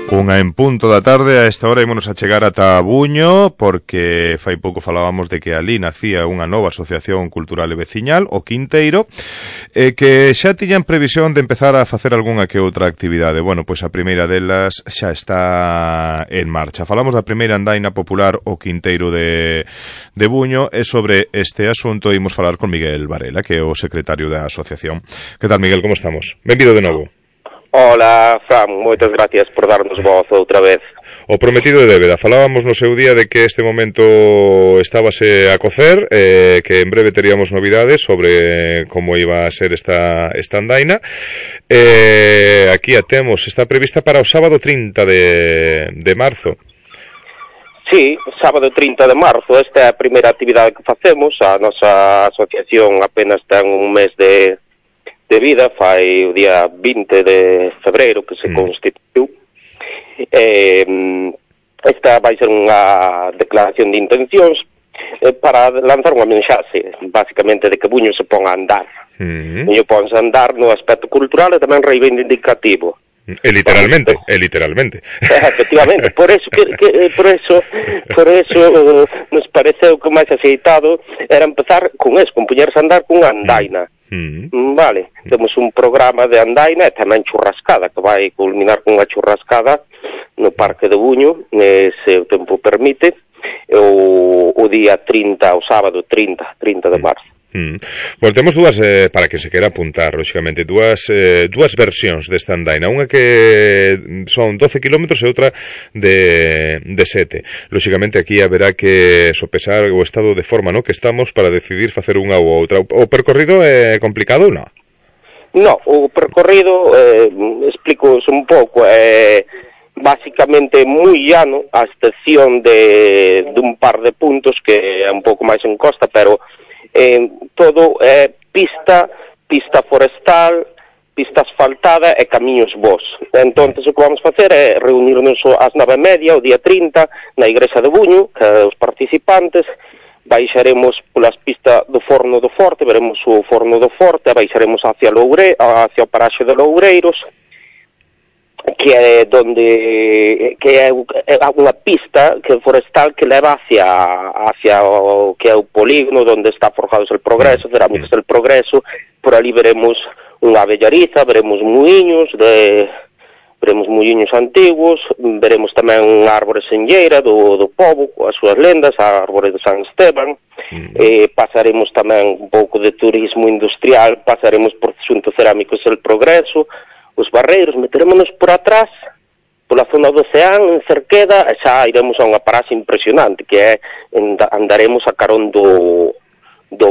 Unha en punto da tarde, a esta hora ímonos a chegar ata Buño, porque fai pouco falábamos de que ali nacía unha nova asociación cultural e veciñal, o Quinteiro, que xa tiñan previsión de empezar a facer algunha que outra actividade. Bueno, pois a primeira delas xa está en marcha. Falamos da primeira andaina popular, o Quinteiro de Buño, e sobre este asunto imos falar con Miguel Varela, que é o secretario da asociación. Que tal, Miguel, como estamos? Benvido de novo. Hola, Fran, moitas gracias por darnos voz outra vez. O prometido de débeda. Falábamos no seu día de que este momento estábase a cocer, que en breve teríamos novidades sobre como iba a ser esta andaina. Aquí a temos, está prevista para o sábado 30 de marzo. Sí, sábado 30 de marzo, esta é a primeira actividade que facemos. A nosa asociación apenas ten un mes de vida, fai o día 20 de febreiro que se constituiu. Esta vai ser unha declaración de intencións para lanzar unha mensaxe, basicamente, de que Buño se ponga a andar. Buño ponse a andar no aspecto cultural e tamén reivindicativo. Literalmente. Efectivamente, por eso nos pareceu que o máis aceitado era empezar con eso, con poñerse a andar cunha andaina. Vale, temos un programa de andaina e tamén churrascada, que vai culminar con unha churrascada no Parque de Buño, se o tempo permite, o día 30, o sábado 30 de marzo. Bueno, temos dúas, para que se queira apuntar, lógicamente, dúas versións desta andaina, unha que son 12 kilómetros e outra de 7. Lógicamente aquí haberá que sopesar o estado de forma no que estamos para decidir facer unha ou outra. O percorrido é complicado ou non? No, o percorrido, explico un pouco, básicamente moi llano, a excepción de un par de puntos que é un pouco máis en costa, pero todo é pista forestal, pista asfaltada e camiños bons. Entonces o que vamos facer é reunirnos ás 9:30, o día 30, na igrexa de Buño, que os participantes baixaremos polas pistas do Forno do Forte, veremos o Forno do Forte, baixaremos hacia o paraxe de Loureiros, que é unha pista que forestal que leva hacia o que é o polígono onde está forjados el Progreso, Cerámicas del Progreso. Por ali veremos unha abellariza, veremos muiños antigos, veremos tamén unha árbore senlleira do pobo, as súas lendas, a árbore de San Esteban. Pasaremos tamén un pouco de turismo industrial, pasaremos por Xunto Cerámicos del Progreso, os barreiros, meterémonos por atrás, pola zona do Ceán, en Cerqueda, e xa iremos a unha paraxe impresionante, que é, andaremos a carón do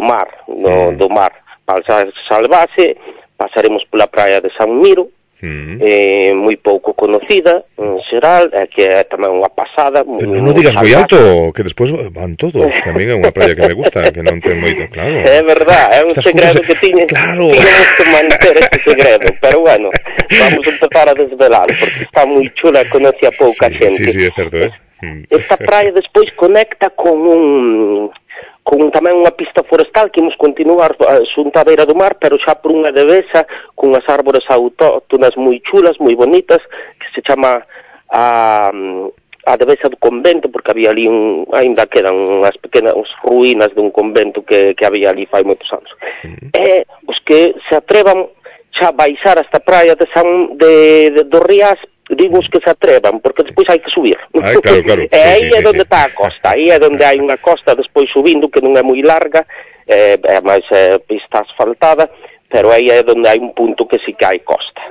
mar, do mar, Balsa Salvaxe, pasaremos pola praia de San Miro, moi pouco conocida, en xeral, que é tamén unha pasada. Pero non digas moi alto, que despois van todos, que a mí é unha praia que me gusta, que non ten moito, claro. É verdad, é un segredo que tiñemos que manter este segredo, pero bueno, vamos a empezar a desvelar, porque está moi chula e conoce a pouca xente. Sí, é certo, Esta praia despois conecta con tamén unha pista forestal que imos continuar xunto á beira do mar, pero xa por unha devesa con as árbores autóctonas moi chulas, moi bonitas, que se chama a devesa do convento, porque había ali ainda quedan unhas pequenas ruínas dun convento que había ali fai moitos anos. E os que se atrevan xa baixar esta praia do Rías, digo os que se atrevan, porque despois hai que subir. Claro. E aí é onde está a costa, aí é onde hai unha costa despois subindo, que non é moi larga, é máis pista asfaltada, pero aí é onde hai un punto que sí que hai costa,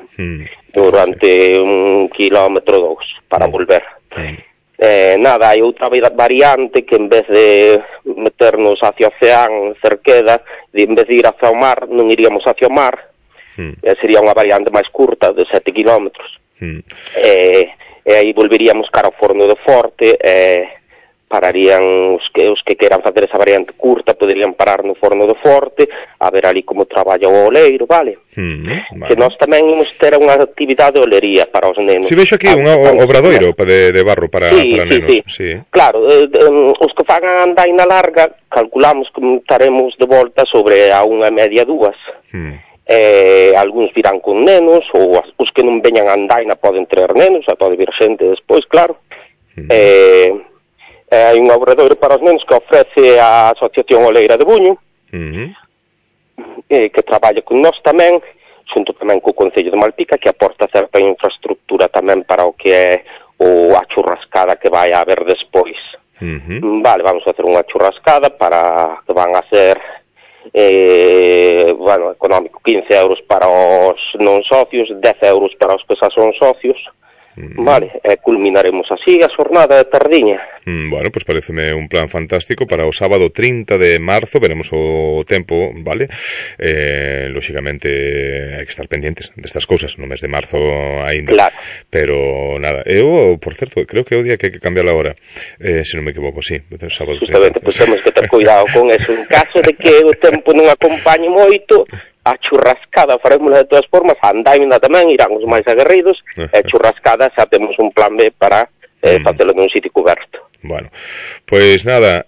durante 1 kilómetro ou 2, para volver. Hai outra variante que en vez de meternos hacia o Ceán, Cerqueda, en vez de ir hacia o mar, non iríamos hacia o mar, sería unha variante máis curta, de 7 kilómetros. E aí volveríamos cara ao Forno do Forte, pararían os que queran facer esa variante curta, poderían parar no Forno do Forte, a ver ali como traballa o oleiro, vale? Que nós tamén imos ter unha actividade de olería para os nenos. Si vexo aquí un obradoiro de barro para nenos. Sí. Claro, os que fagan a andaina larga, calculamos que estaremos de volta sobre a 1:30, 2. Algúns virán con nenos, ou os que non veñan a andaina poden traer nenos, pode vir xente despois, claro. Hai un obradoiro para os nenos que ofrece a Asociación Oleira de Buño, que traballa con nós tamén, xunto tamén co Concello de Malpica, que aporta certa infraestructura tamén para o que é a churrascada que vai a haber despois. Vale, vamos a hacer unha churrascada para que van a ser económico, 15 euros para os non socios, 10 euros para os que xa son socios. Vale, culminaremos así a xornada de tardiña. Bueno, pues pareceme un plan fantástico para o sábado 30 de marzo, veremos o tempo, vale? Lóxicamente hai que estar pendientes destas cousas no mes de marzo aínda. Claro. Pero nada, eu, por certo, creo que é o día que hai que cambiar a hora, se non me equivoco, sí, o sábado 30. Justamente, pues temos que ter cuidado con eso. En caso de que o tempo non acompañe moito, a churrascada farémola de todas formas, a andaina tamén, irán os máis aguerridos, e churrascada xa temos un plan B para facelo nun sitio coberto. Bueno, pois nada,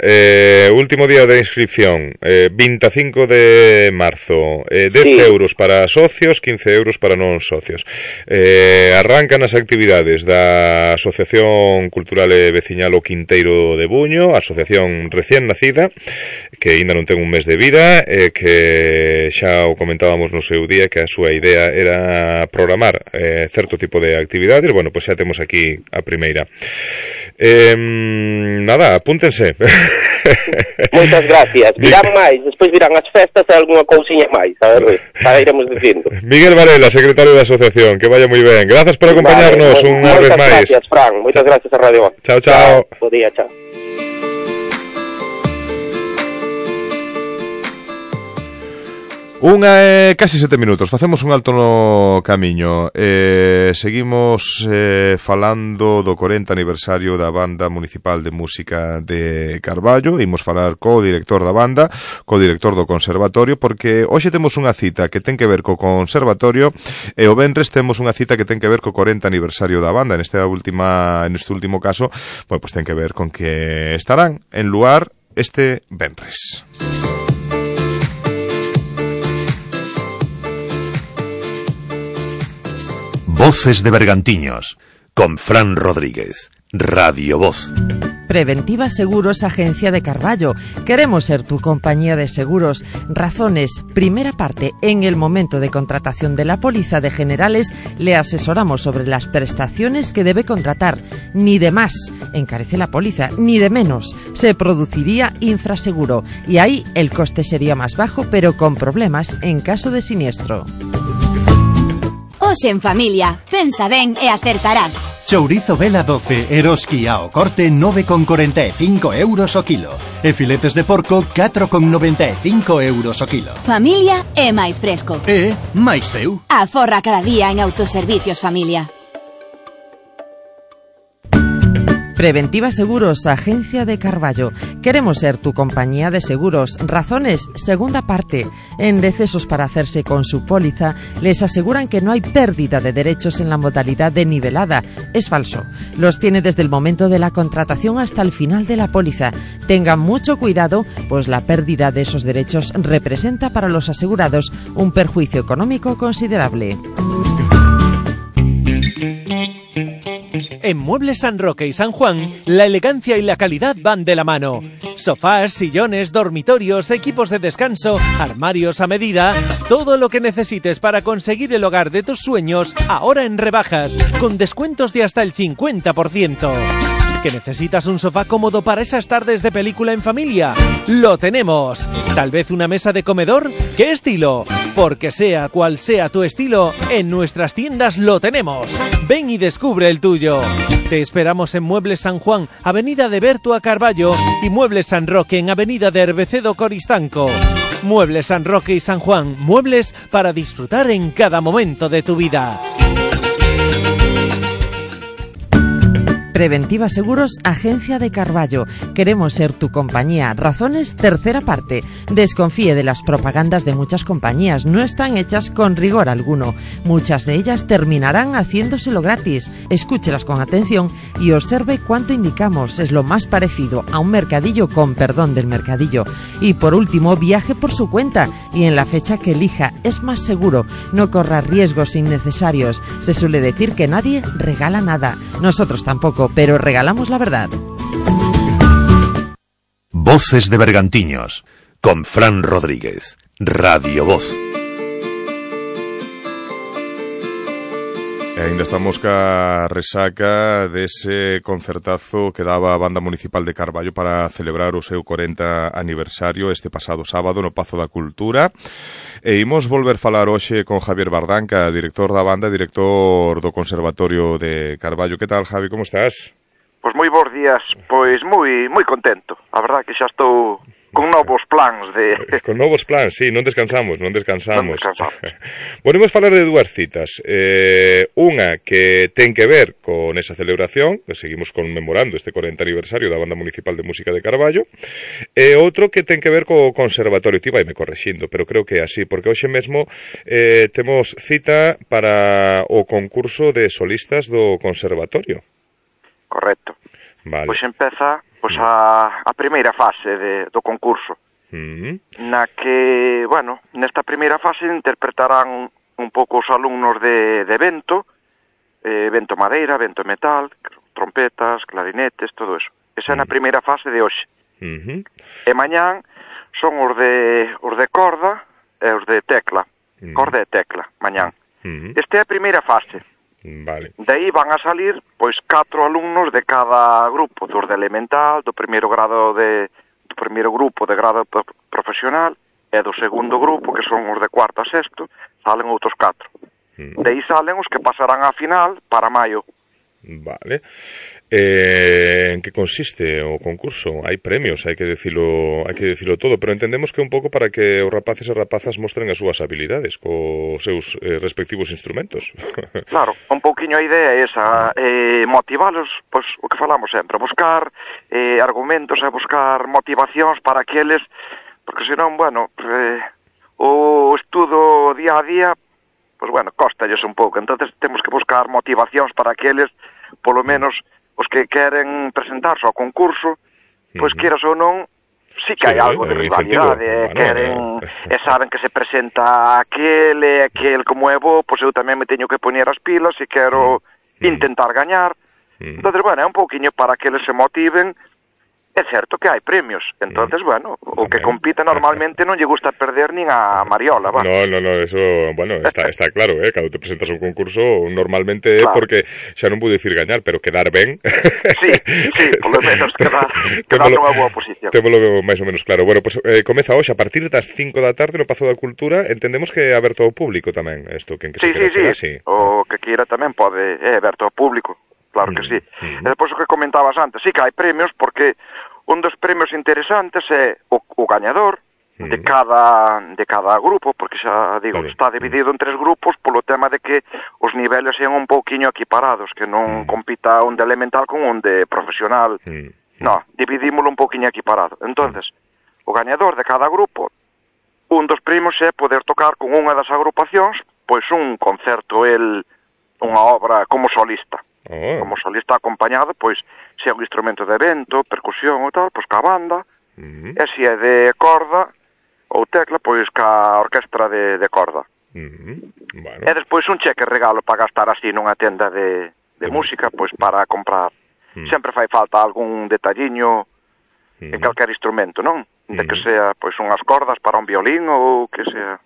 último día de inscripción, 25 de marzo, 10 euros para socios, 15 euros para non socios. Arrancan as actividades da Asociación Cultural e Veciñal O Quinteiro de Buño, asociación recién nacida, que ainda non ten un mes de vida, que xa o comentábamos no seu día, que a súa idea era programar certo tipo de actividades. Bueno, pois xa temos aquí a primeira. Nada, apúntense. Moitas gracias. Virán máis, despois virán as festas e algunha cousiña máis, a ver, xa iremos dicindo. Miguel Varela, secretario da asociación, que vaya moi ben. Grazas por acompañarnos unha vez máis. Moitas gracias, Fran. Moitas gracias a Radio. Chao, chao. Bo día, chao. Unha casi 7 minutos, facemos un alto no camiño. Seguimos falando do 40 aniversario da Banda Municipal de Música de Carballo. Imos falar co director da banda, co director do conservatorio, porque hoxe temos unha cita que ten que ver co conservatorio e o venres temos unha cita que ten que ver co 40 aniversario da banda. Neste último caso, bueno, pues ten que ver con que estarán en Luar este venres. Voces de Bergantiños, con Fran Rodríguez, Radio Voz. Preventiva Seguros, Agencia de Carballo. Queremos ser tu compañía de seguros. Razones. Primera parte. En el momento de contratación de la póliza de generales, le asesoramos sobre las prestaciones que debe contratar. Ni de más encarece la póliza, ni de menos. Se produciría infraseguro. Y ahí el coste sería más bajo, pero con problemas en caso de siniestro. Hoxe en familia, pensa ben e acertarás. Chourizo Vela 12, Eroski ao corte 9,45 euros o kilo. E filetes de porco 4,95 euros o kilo. Familia é máis fresco. E máis teu. Aforra cada día en Autoservicios Familia. Preventiva Seguros, Agencia de Carballo. Queremos ser tu compañía de seguros. Razones, segunda parte. En decesos para hacerse con su póliza, les aseguran que no hay pérdida de derechos en la modalidad de nivelada. Es falso. Los tiene desde el momento de la contratación hasta el final de la póliza. Tengan mucho cuidado, pues la pérdida de esos derechos representa para los asegurados un perjuicio económico considerable. En Muebles San Roque y San Juan, la elegancia y la calidad van de la mano. Sofás, sillones, dormitorios, equipos de descanso, armarios a medida, todo lo que necesites para conseguir el hogar de tus sueños, ahora en rebajas, con descuentos de hasta el 50%. ¿Que necesitas un sofá cómodo para esas tardes de película en familia? ¡Lo tenemos! ¿Tal vez una mesa de comedor? ¿Qué estilo? Porque sea cual sea tu estilo, en nuestras tiendas lo tenemos. Ven y descubre el tuyo. Te esperamos en Muebles San Juan, Avenida de Bertua Carballo, y Muebles San Roque en Avenida de Herbecedo Coristanco. Muebles San Roque y San Juan, muebles para disfrutar en cada momento de tu vida. Preventiva Seguros, Agencia de Carballo. Queremos ser tu compañía. Razones, tercera parte. Desconfíe de las propagandas de muchas compañías. No están hechas con rigor alguno. Muchas de ellas terminarán haciéndoselo gratis. Escúchelas con atención y observe cuánto indicamos. Es lo más parecido a un mercadillo con perdón del mercadillo. Y por último, viaje por su cuenta y en la fecha que elija. Es más seguro. No corra riesgos innecesarios. Se suele decir que nadie regala nada. Nosotros tampoco, pero regalamos la verdad. Voces de Bergantiños, con Fran Rodríguez, Radio Voz. E ainda estamos ca resaca dese concertazo que daba a Banda Municipal de Carballo para celebrar o seu 40 aniversario este pasado sábado no Pazo da Cultura. E imos volver falar hoxe con Javier Bardanca, director da banda, director do Conservatorio de Carballo. Que tal, Javi, como estás? Pois moi bons días, pois moi contento. A verdad que xa estou con novos plans de... Con novos plans, sí, non descansamos. Bueno, imos falar de dúas citas. Unha que ten que ver con esa celebración, que seguimos conmemorando este 40 aniversario da Banda Municipal de Música de Carballo, e outro que ten que ver co Conservatorio. Ti vai me correxindo, pero creo que é así, porque hoxe mesmo temos cita para o concurso de solistas do Conservatorio. Correcto. Vale. Pois empeza a primeira fase do concurso, na que, bueno, nesta primeira fase interpretarán un pouco os alumnos de vento, vento madeira, vento metal, trompetas, clarinetes, todo eso. Esa é na primeira fase de hoxe. E mañán son os de corda e os de tecla. Corda e tecla, mañán. Esta é a primeira fase. Vale. De aí van a salir, pois, 4 alumnos de cada grupo, dos de elemental, do primeiro grupo de grado profesional, e do segundo grupo, que son os de cuarto a sexto, salen outros 4. De aí salen os que pasarán á final para maio. Vale. En que consiste o concurso? Hai premios, hai que dicilo todo, pero entendemos que un pouco para que os rapaces e rapazas mostren as súas habilidades cos seus respectivos instrumentos. Claro, un pouquiño a idea é esa, motivalos, pois, o que falamos sempre, buscar argumentos e buscar motivacións para que eles, porque senón, bueno, o estudo día a día, pois, bueno, cóstalles un pouco, entonces temos que buscar motivacións para que eles, polo menos os que queren presentarse ao concurso, pois queras ou non, sí que hai algo de rivalidade, queren, e saben que se presenta aquel como é bo, pois eu tamén me teño que poñer as pilas e quero intentar gañar. Entonces, bueno, é un pouquiño para que eles se motiven. É certo que hai premios, entonces, bueno, o que compite normalmente non lle gusta perder nin a Mariola, va. No, eso, bueno, está claro, cando te presentas a un concurso, normalmente é porque xa non vou dicir gañar, pero quedar ben. Sí, polo menos quedar nunha boa posición. Témolo máis ou menos claro. Bueno, pues comeza hoxe a partir das 5 da tarde no Pazo da Cultura, entendemos que é aberto ao público tamén, isto, quen que se quera chegar, sí. O que queira tamén pode, é aberto ao público, claro que sí. E depois o que comentabas antes, sí que hai premios, porque un dos premios interesantes é o gañador de cada grupo, porque xa digo, está dividido en 3 grupos polo tema de que os niveles sean un pouquiño equiparados, que non compita un de elemental con un de profesional. No, dividímolo un pouquiño equiparado. Entonces, o gañador de cada grupo, un dos premios é poder tocar con unha das agrupacións, pois un concerto, unha obra como solista. Como solista acompañado, pois, se é un instrumento de vento, percusión ou tal, pois ca banda, e se é de corda ou tecla, pois ca orquestra de corda. Bueno. E despois un cheque regalo para gastar así nunha tenda de música, pois para comprar. Sempre fai falta algún detalliño en calquer instrumento, non? De que sea, pois, unhas cordas para un violín ou que sea...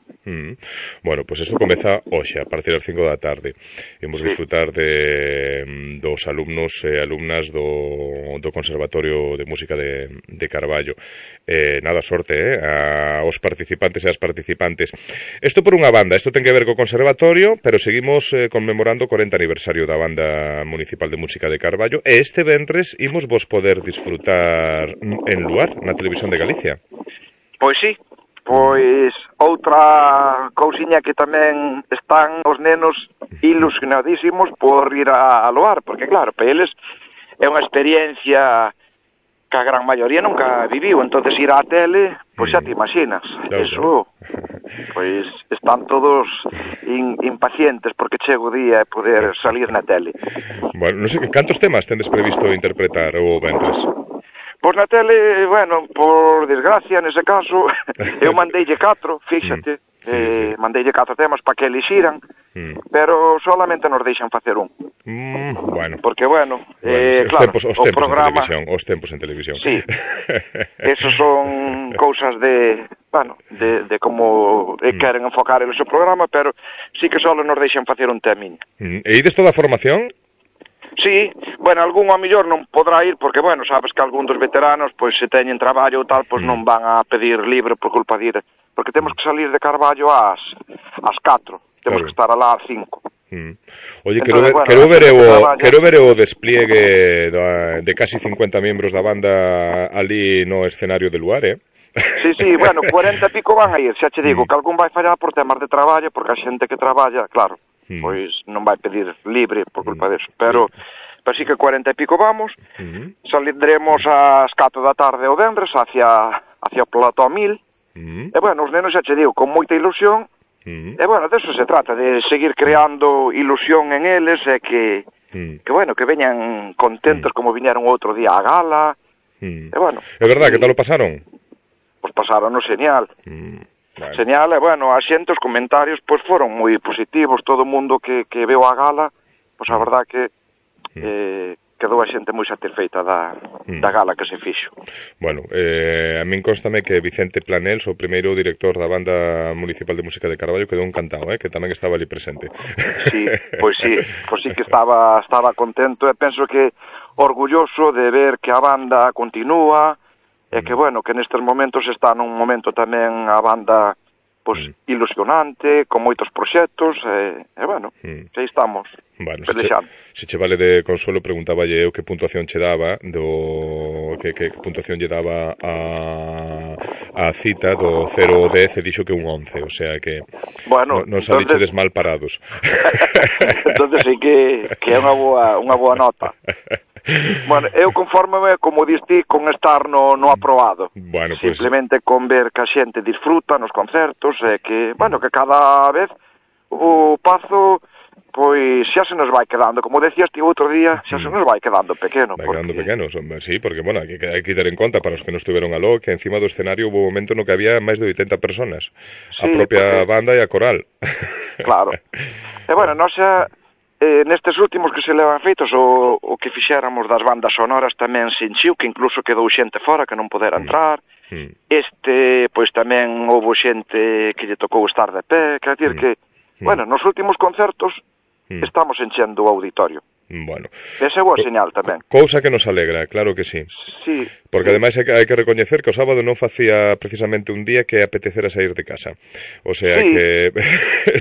Bueno, pois isto comeza hoxe, a partir das 5 da tarde. Imos disfrutar dos alumnos e alumnas do Conservatorio de Música de Carballo. Nada, sorte, aos participantes e as participantes. Isto por unha banda, isto ten que ver co Conservatorio, pero seguimos conmemorando o 40 aniversario da Banda Municipal de Música de Carballo, e este venres imos vos poder disfrutar en Luar, na Televisión de Galicia. Pois sí. Pois outra cousiña que tamén están os nenos ilusionadísimos por ir a Loar, porque claro, para eles é unha experiencia que a gran maioría nunca viviu, entonces ir á tele, pois xa te imaginas, eso, pois están todos impacientes porque chega o día de poder salir na tele. Bueno, non sei, cantos temas tendes previsto interpretar o venres? Pois na tele, bueno, por desgracia, nese caso, eu mandeille 4, fíxate, mandeille 4 temas para que elixiran, pero solamente nos deixan facer un. Bueno. Porque, bueno, claro, os tempos en televisión. Sí, esos son cousas de, bueno, de como queren enfocar el seu programa, pero sí que solo nos deixan facer un temiño. E ides toda a formación? Sí, bueno, algún a mellor non podrá ir porque, bueno, sabes que algún dos veteranos, pois se teñen traballo ou tal, pois non van a pedir libre por culpa de ir, porque temos que salir de Carballo ás 4, temos que estar alá ás 5. Oye, quero ver o despliegue de casi 50 membros da banda ali no escenario de Luar, Sí, bueno, 40 e pico van a ir, xa che digo, que algún vai fallar por temas de traballo, porque a xente que traballa, claro, pois non vai pedir libre por culpa deso, pero sí que 40 e pico vamos, saldremos ás 4 da tarde o venres hacia o Plató 1000, e bueno, os nenos xa che digo, con moita ilusión, e bueno, deso se trata, de seguir creando ilusión en eles, e que bueno, que veñan contentos como viñeron outro día á gala, e bueno. É verdad, que tal o pasaron? Pois pasaron genial. Señal, e bueno, a xente, os comentarios pois foron moi positivos, todo o mundo que veo a gala, pois a verdad que quedou a xente moi satisfeita da gala que se fixo. Bueno, a min constame que Vicente Planels, o primeiro director da Banda Municipal de Música de Carballo, quedou encantado, que tamén estaba ali presente. Sí que estaba contento, e penso que orgulloso de ver que a banda continúa, e que, bueno, que nestes momentos está nun momento tamén a banda pois ilusionante, con moitos proxectos, e bueno, xa estamos. Bueno, se che vale de consuelo, preguntaballe eu que puntuación che daba que puntuación lle daba a cita do 0 ao 10, e dixo que un 11, o sea que bueno, non salichedes mal parados. Entonces sí que é unha boa nota. Bueno, eu confórmame, como diste, con estar no aprobado. Bueno, simplemente con ver que a xente disfruta nos concertos, e que, bueno, que cada vez o Pazo, pois xa se nos vai quedando, como decías ti outro día, xa se nos vai quedando pequeno. Quedando pequenos, sí, porque, bueno, hai que ter en conta, para os que non estiveron aló, que encima do escenario hubo un momento no que había máis de 80 personas, a propia banda e a coral. Claro. E, bueno, non xa... nestes últimos que se levan feitos, o que fixéramos das bandas sonoras tamén se enchiu, que incluso quedou xente fora que non podera entrar. Pois tamén houve xente que lle tocou estar de pé, quer dizer que, bueno, nos últimos concertos estamos enchendo o auditorio. Bueno. Esa é boa señal tamén. Cousa que nos alegra, claro que sí. Sí. Porque ademais hai que recoñecer que o sábado non facía precisamente un día que apetecera sair de casa. O sea que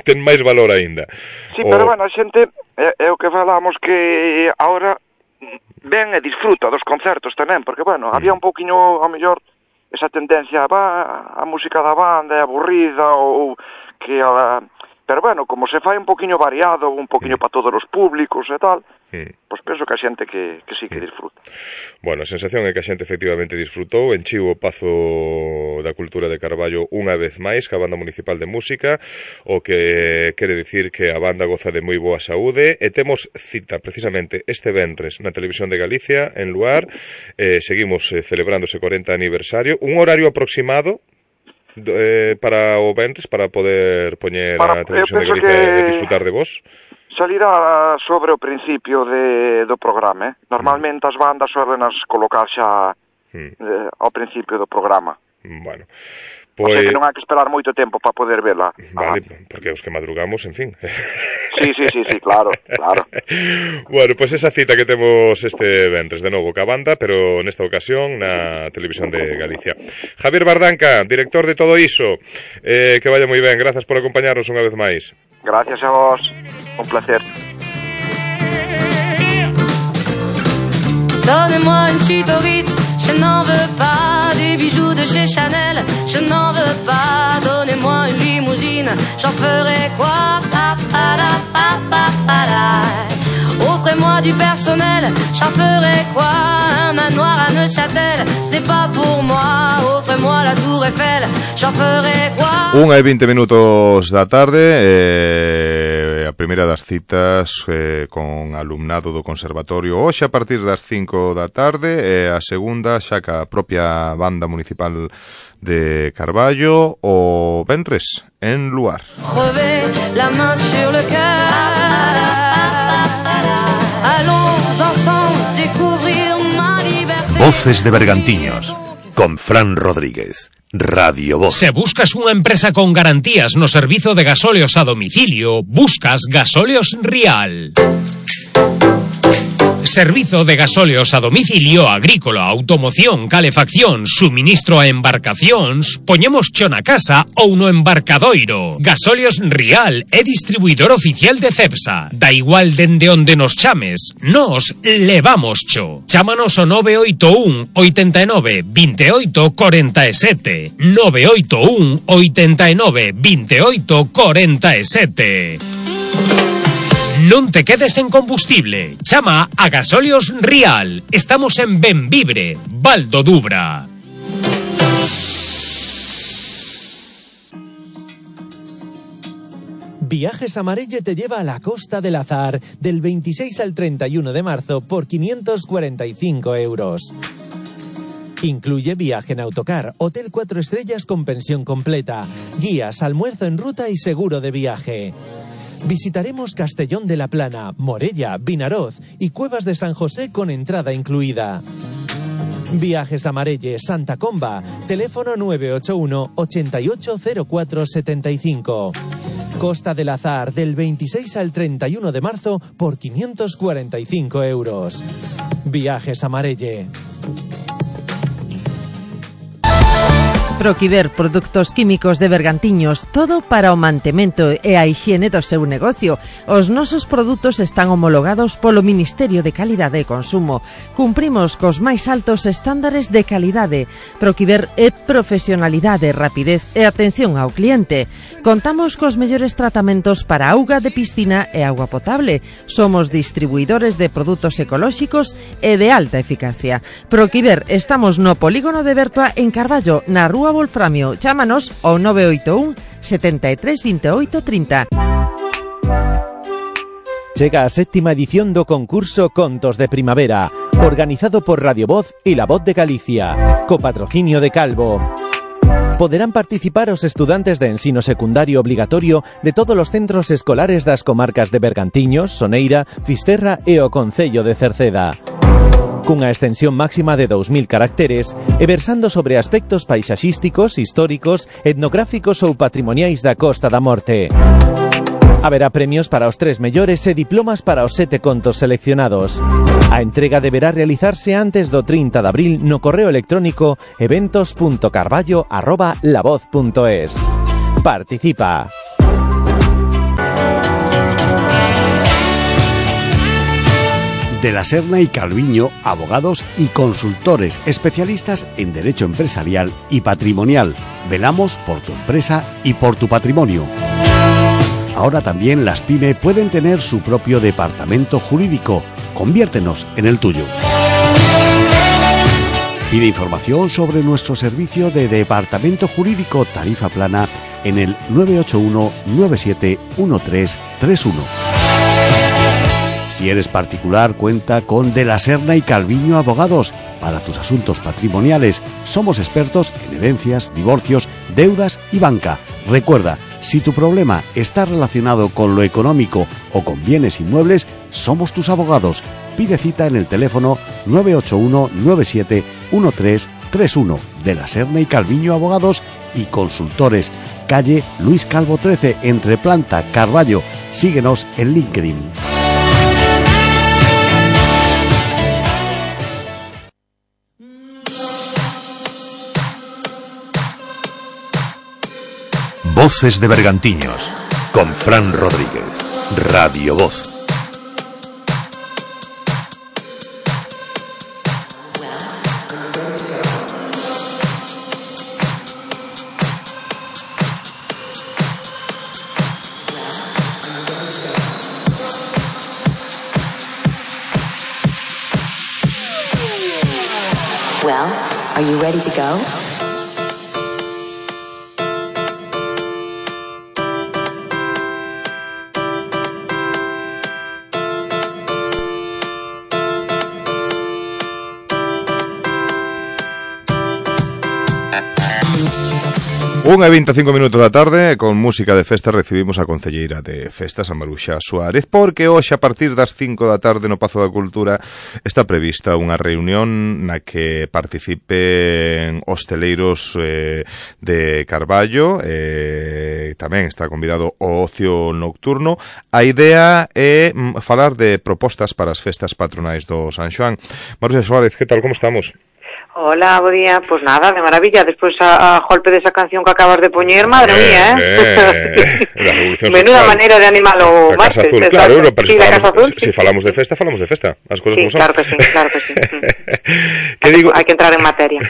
ten máis valor aínda. Sí, pero bueno, a xente, é o que falamos, que agora ven e disfruta dos concertos tamén, porque bueno, había un pouquiño, ao mellor, esa tendencia, a música da banda é aburrida, ou que... Pero bueno, como se fai un poquinho variado, un poquinho para todos os públicos e tal, pois penso que a xente que sí que disfruta. Bueno, a sensación é que a xente efectivamente disfrutou, enchiu o Pazo da Cultura de Carballo unha vez máis que a Banda Municipal de Música, o que quere dicir que a banda goza de moi boa saúde, e temos cita precisamente este venres na Televisión de Galicia, en Luar, seguimos celebrando ese 40 aniversario, un horario aproximado para o venres, para poder poñer a Televisión de Galicia e disfrutar de vos? Salirá sobre o principio do programa, Normalmente as bandas suelen colocar xa ao principio do programa. Bueno, o sea que non hai que esperar moito tempo para poder vela. Vale, porque os que madrugamos, en fin. Sí, claro. Bueno, pues esa cita que temos este venres de novo ca banda, pero nesta ocasión na Televisión de Galicia. Javier Bardanca, director de todo iso, que vaya moi ben, grazas por acompañarnos unha vez máis. Gracias a vos, un placer. Donnez-moi une suite au Ritz, je n'en veux pas. Des bijoux de chez Chanel, je n'en veux pas. Donnez-moi une limousine, j'en ferai quoi? Auprès offrez-moi du personnel. J'en ferai quoi? Un manoir à Neuchâtel, ce n'est pas pour moi. Offrez-moi la Tour Eiffel, j'en ferai quoi? 1:20 minutos da tarde, a primeira das citas con alumnado do Conservatorio hoxe a partir das 5 da tarde, e a segunda xa ca propia banda municipal de Carballo o venres en Luar. Crever la main sur le cœur. Allons ensemble découvrir ma liberté. Voces de Bergantiños, con Fran Rodríguez. Radio Voz. Se buscas unha empresa con garantías no servizo de gasóleos a domicilio, buscas Gasóleos Rial. Servizo de gasóleos a domicilio agrícola, automoción, calefacción, suministro a embarcacións, poñemos cho na casa ou no embarcadoiro. Gasóleos Rial é distribuidor oficial de Cepsa. Da igual dende onde nos chames, nos levamos cho. Chámanos ao 981 89 28 47. 981 89 28 47. Non te quedes en combustible. Chama a Gasóleos Rial. Estamos en Benvibre, Val do Dubra. Viajes Amarelle te lleva a la Costa del Azar del 26 al 31 de marzo por 545 euros. Incluye viaje en autocar, hotel 4 estrellas con pensión completa, guías, almuerzo en ruta y seguro de viaje. Visitaremos Castellón de la Plana, Morella, Vinaroz y Cuevas de San José con entrada incluida. Viajes Amarelle, Santa Comba, teléfono 981 880475. Costa del Azar, del 26 al 31 de marzo por 545 euros. Viajes Amarelle. Proquiver, produtos químicos de Bergantiños, todo para o mantemento e a hixiene do seu negocio. Os nosos produtos están homologados polo Ministerio de Calidade e Consumo. Cumprimos cos máis altos estándares de calidade. Proquiver é profesionalidade, rapidez e atención ao cliente. Contamos cos mellores tratamentos para auga de piscina e auga potable. Somos distribuidores de produtos ecolóxicos e de alta eficacia. Proquiver, estamos no polígono de Bertoa en Carballo, na Rúa Wolframio. Chámanos ao 981 73 28 30. Chega a 7ª edición do concurso Contos de Primavera, organizado por Radio Voz e La Voz de Galicia, co patrocinio de Calvo. Poderán participar os estudantes de ensino secundario obligatorio de todos os centros escolares das comarcas de Bergantiños, Soneira, Fisterra e o concello de Cerceda. Cunha extensión máxima de 2000 caracteres e versando sobre aspectos paisaxísticos, históricos, etnográficos ou patrimoniais da Costa da Morte. Haberá premios para os 3 mellores e diplomas para os 7 contos seleccionados. A entrega deberá realizarse antes do 30 de abril no correo electrónico eventos.carballo@lavoz.es. Participa. De la Serna y Calviño, abogados y consultores especialistas en derecho empresarial y patrimonial. Velamos por tu empresa y por tu patrimonio. Ahora también las PYME pueden tener su propio departamento jurídico. Conviértenos en el tuyo. Pide información sobre nuestro servicio de departamento jurídico tarifa plana en el 981 97 1331. Si eres particular, cuenta con De la Serna y Calviño Abogados. Para tus asuntos patrimoniales, somos expertos en herencias, divorcios, deudas y banca. Recuerda, si tu problema está relacionado con lo económico o con bienes inmuebles, somos tus abogados. Pide cita en el teléfono 981 97 1331. De la Serna y Calviño Abogados y Consultores. Calle Luis Calvo 13, entre Planta, Carballo. Síguenos en LinkedIn. Voces de Bergantiños, con Fran Rodríguez. Radio Voz. Well, are you ready to go? Unha e 25 minutos da tarde, con música de festa, recibimos a concelleira de festas, a Maruxa Suárez, porque hoxe a partir das 5 da tarde no Pazo da Cultura está prevista unha reunión na que participen hosteleiros de Carballo, tamén está convidado o ocio nocturno. A idea é falar de propostas para as festas patronais do San Xoán. Maruxa Suárez, que tal, como estamos? Hola, bo día. Pues nada, de maravilla. Despois a golpe desa canción que acabas de poñer, madre mía, menuda maneira de animalo. A Casa Azul, claro, pero si falamos de festa, falamos de festa. As cousas como son. Claro que sí, claro que sí. Hai que entrar en materia.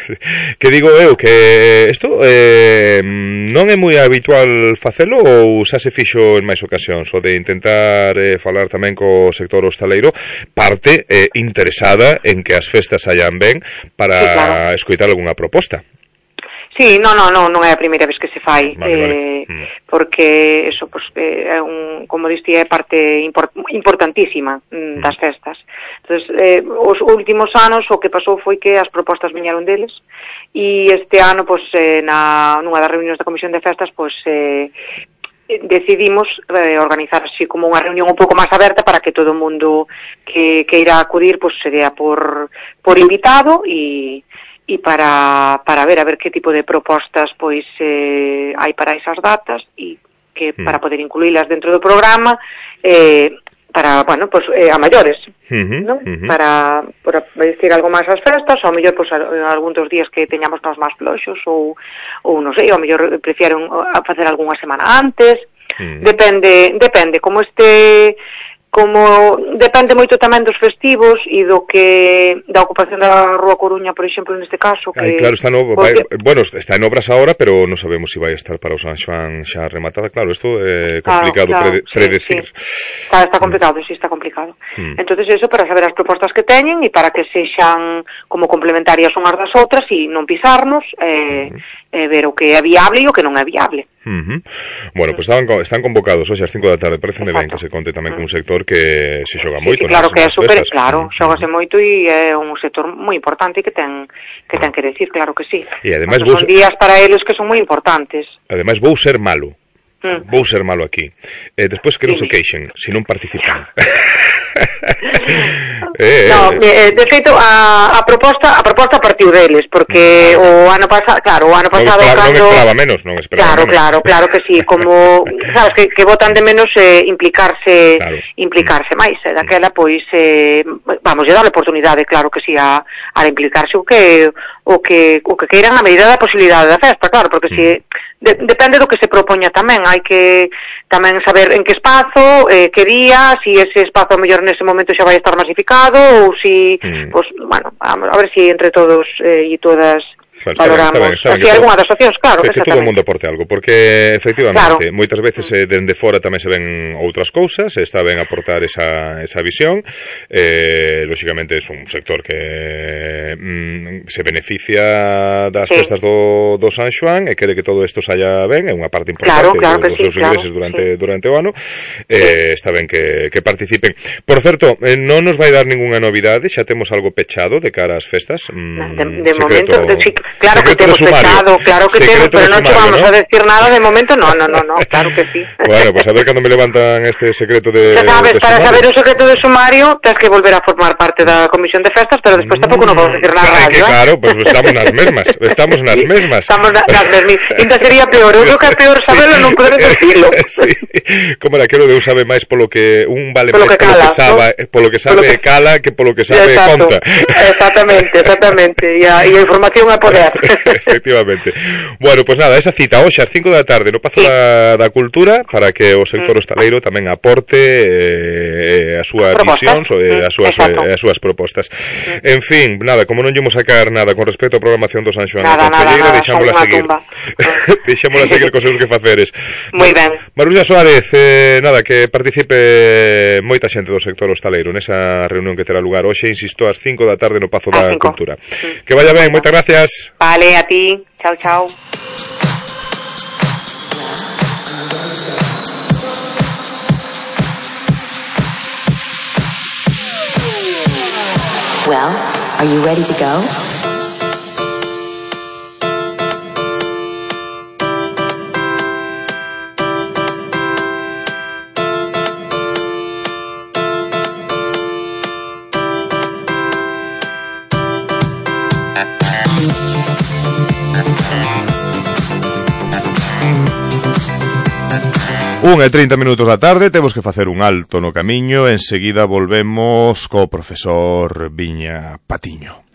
Que digo eu, que isto non é moi habitual facelo ou xa se fixo en máis ocasións, o de intentar falar tamén co sector hostaleiro, parte interesada en que as festas sayan ben para escoitar algunha proposta. Sí, non é a primeira vez que se fai, vale. Porque eso, pues, é como diste, é parte importantísima das festas. Entonces, os últimos anos o que pasou foi que as propostas viñeron deles, e este ano, pues, nunha das reunións da Comisión de Festas, pues, decidimos organizar así como unha reunión un pouco máis aberta para que todo o mundo que irá acudir, pues, sería por invitado e para ver que tipo de propostas pois hai para esas datas e que para poder incluílas dentro do programa para, bueno, pues a maiores, ¿no? Para decir algo máis ás festas, ou mellor pues algún dos días que teñamos nós máis floxos ou non sei, ou mellor prefieren facer algunha semana antes. Depende como depende moito tamén dos festivos e da ocupación da Rúa Coruña, por exemplo, neste caso, que claro, está en obras ahora, pero non sabemos se vai estar para o San Xoán xa rematada. Claro, isto é complicado predecir. Sí. Está complicado, sí, está complicado. Entonces eso, para saber as propostas que teñen e para que sexan como complementarias unhas das outras e non pisarnos, ver o que é viable e o que non é viable. Bueno, pues están convocados hoxe ás 5 da tarde. Pareceme ben que se conte tamén con un sector que se xoga moito. Claro que é super, claro, xógase moito e é un sector moi importante que ten que decir, claro que sí. E ademais son días para eles que son moi importantes. Ademais vou ser malo aquí. Despois que non se queixen se non participan. De feito a proposta partiu deles, porque o ano pasado non esperaba menos. Claro que sí, como sabes que votan de menos implicarse máis, daquela pois vamos a dar a oportunidade, claro que sí, a implicarse o que queiran a medida da posibilidade da festa, claro, porque si depende do que se propoña tamén, hai que tamén saber en que espazo, que día, si ese espazo mellor nese momento xa vai estar masificado ou si, pues, bueno, a ver si entre todos e todas valoramos así algunha das opcións, claro, que todo o mundo aporte algo, porque efectivamente moitas veces dende fora tamén se ven outras cousas, está ben aportar esa visión. Lógicamente é un sector que se beneficia das festas do San Xoán e quere que todo isto saia ben, é unha parte importante dos seus ingresos durante o ano. Está ben que participen. Por certo, non nos vai dar ningunha novidade, xa temos algo pechado de cara ás festas. De momento, claro que temos pechado, claro que temos, pero non vamos a decir nada de momento, no, claro que sí. Bueno, pues a ver cando me levantan este secreto de sabes, para saber o secreto de sumario tens que volver a formar parte da Comisión de Festas, pero despois tampouco non vamos a decir na radio, claro, pues estamos nas mesmas. Estamos nas mesmas. Ainda sería peor, eu creo que é peor saberlo non poder decirlo. Sí, como era aquilo de un sabe máis polo que un vale máis polo que sabe cala que polo que sabe conta. Exactamente, e a información é poder. Efectivamente. Bueno, pues nada, esa cita hoxe ás 5 da tarde no Pazo da Cultura para que o sector hostaleiro tamén aporte a súa visión, as súas propostas. En fin, nada, como non llemos sacar nada con respecto á programación do San Xoán da Concelleira, deixámola seguir. Deixámola seguir cos seus quefaceres. Moi ben. Marulla Suárez, nada, que participe moita xente do sector hostaleiro nesa reunión que terá lugar hoxe, insisto, ás 5 da tarde no Pazo da Cultura. Que vaya ben, moitas gracias. Vale, a ti. Chao, chao. Well, are you ready to go? Unha e 30 minutos da tarde, temos que facer un alto no camiño, enseguida volvemos co profesor Viña Patiño.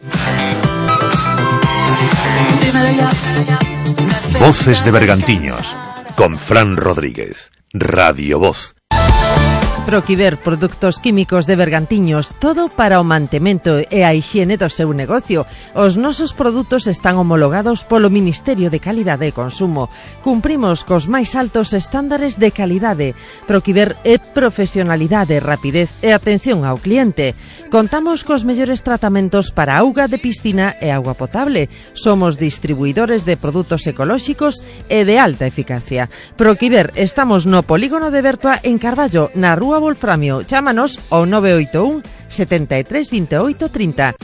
Voces de Bergantiños, con Fran Rodríguez, Radio Voz. Proquiver Produtos Químicos de Bergantiños, todo para o mantemento e a hixiene do seu negocio. Os nosos produtos están homologados polo Ministerio de Calidade e Consumo. Cumprimos cos máis altos estándares de calidade. Proquiver é profesionalidade, rapidez e atención ao cliente. Contamos cos mellores tratamentos para auga de piscina e auga potable. Somos distribuidores de produtos ecolóxicos e de alta eficacia. Proquiver, estamos no Polígono de Bertua en Carballo, na Rúa Wolframio. Chámanos ao 981 73 28 30.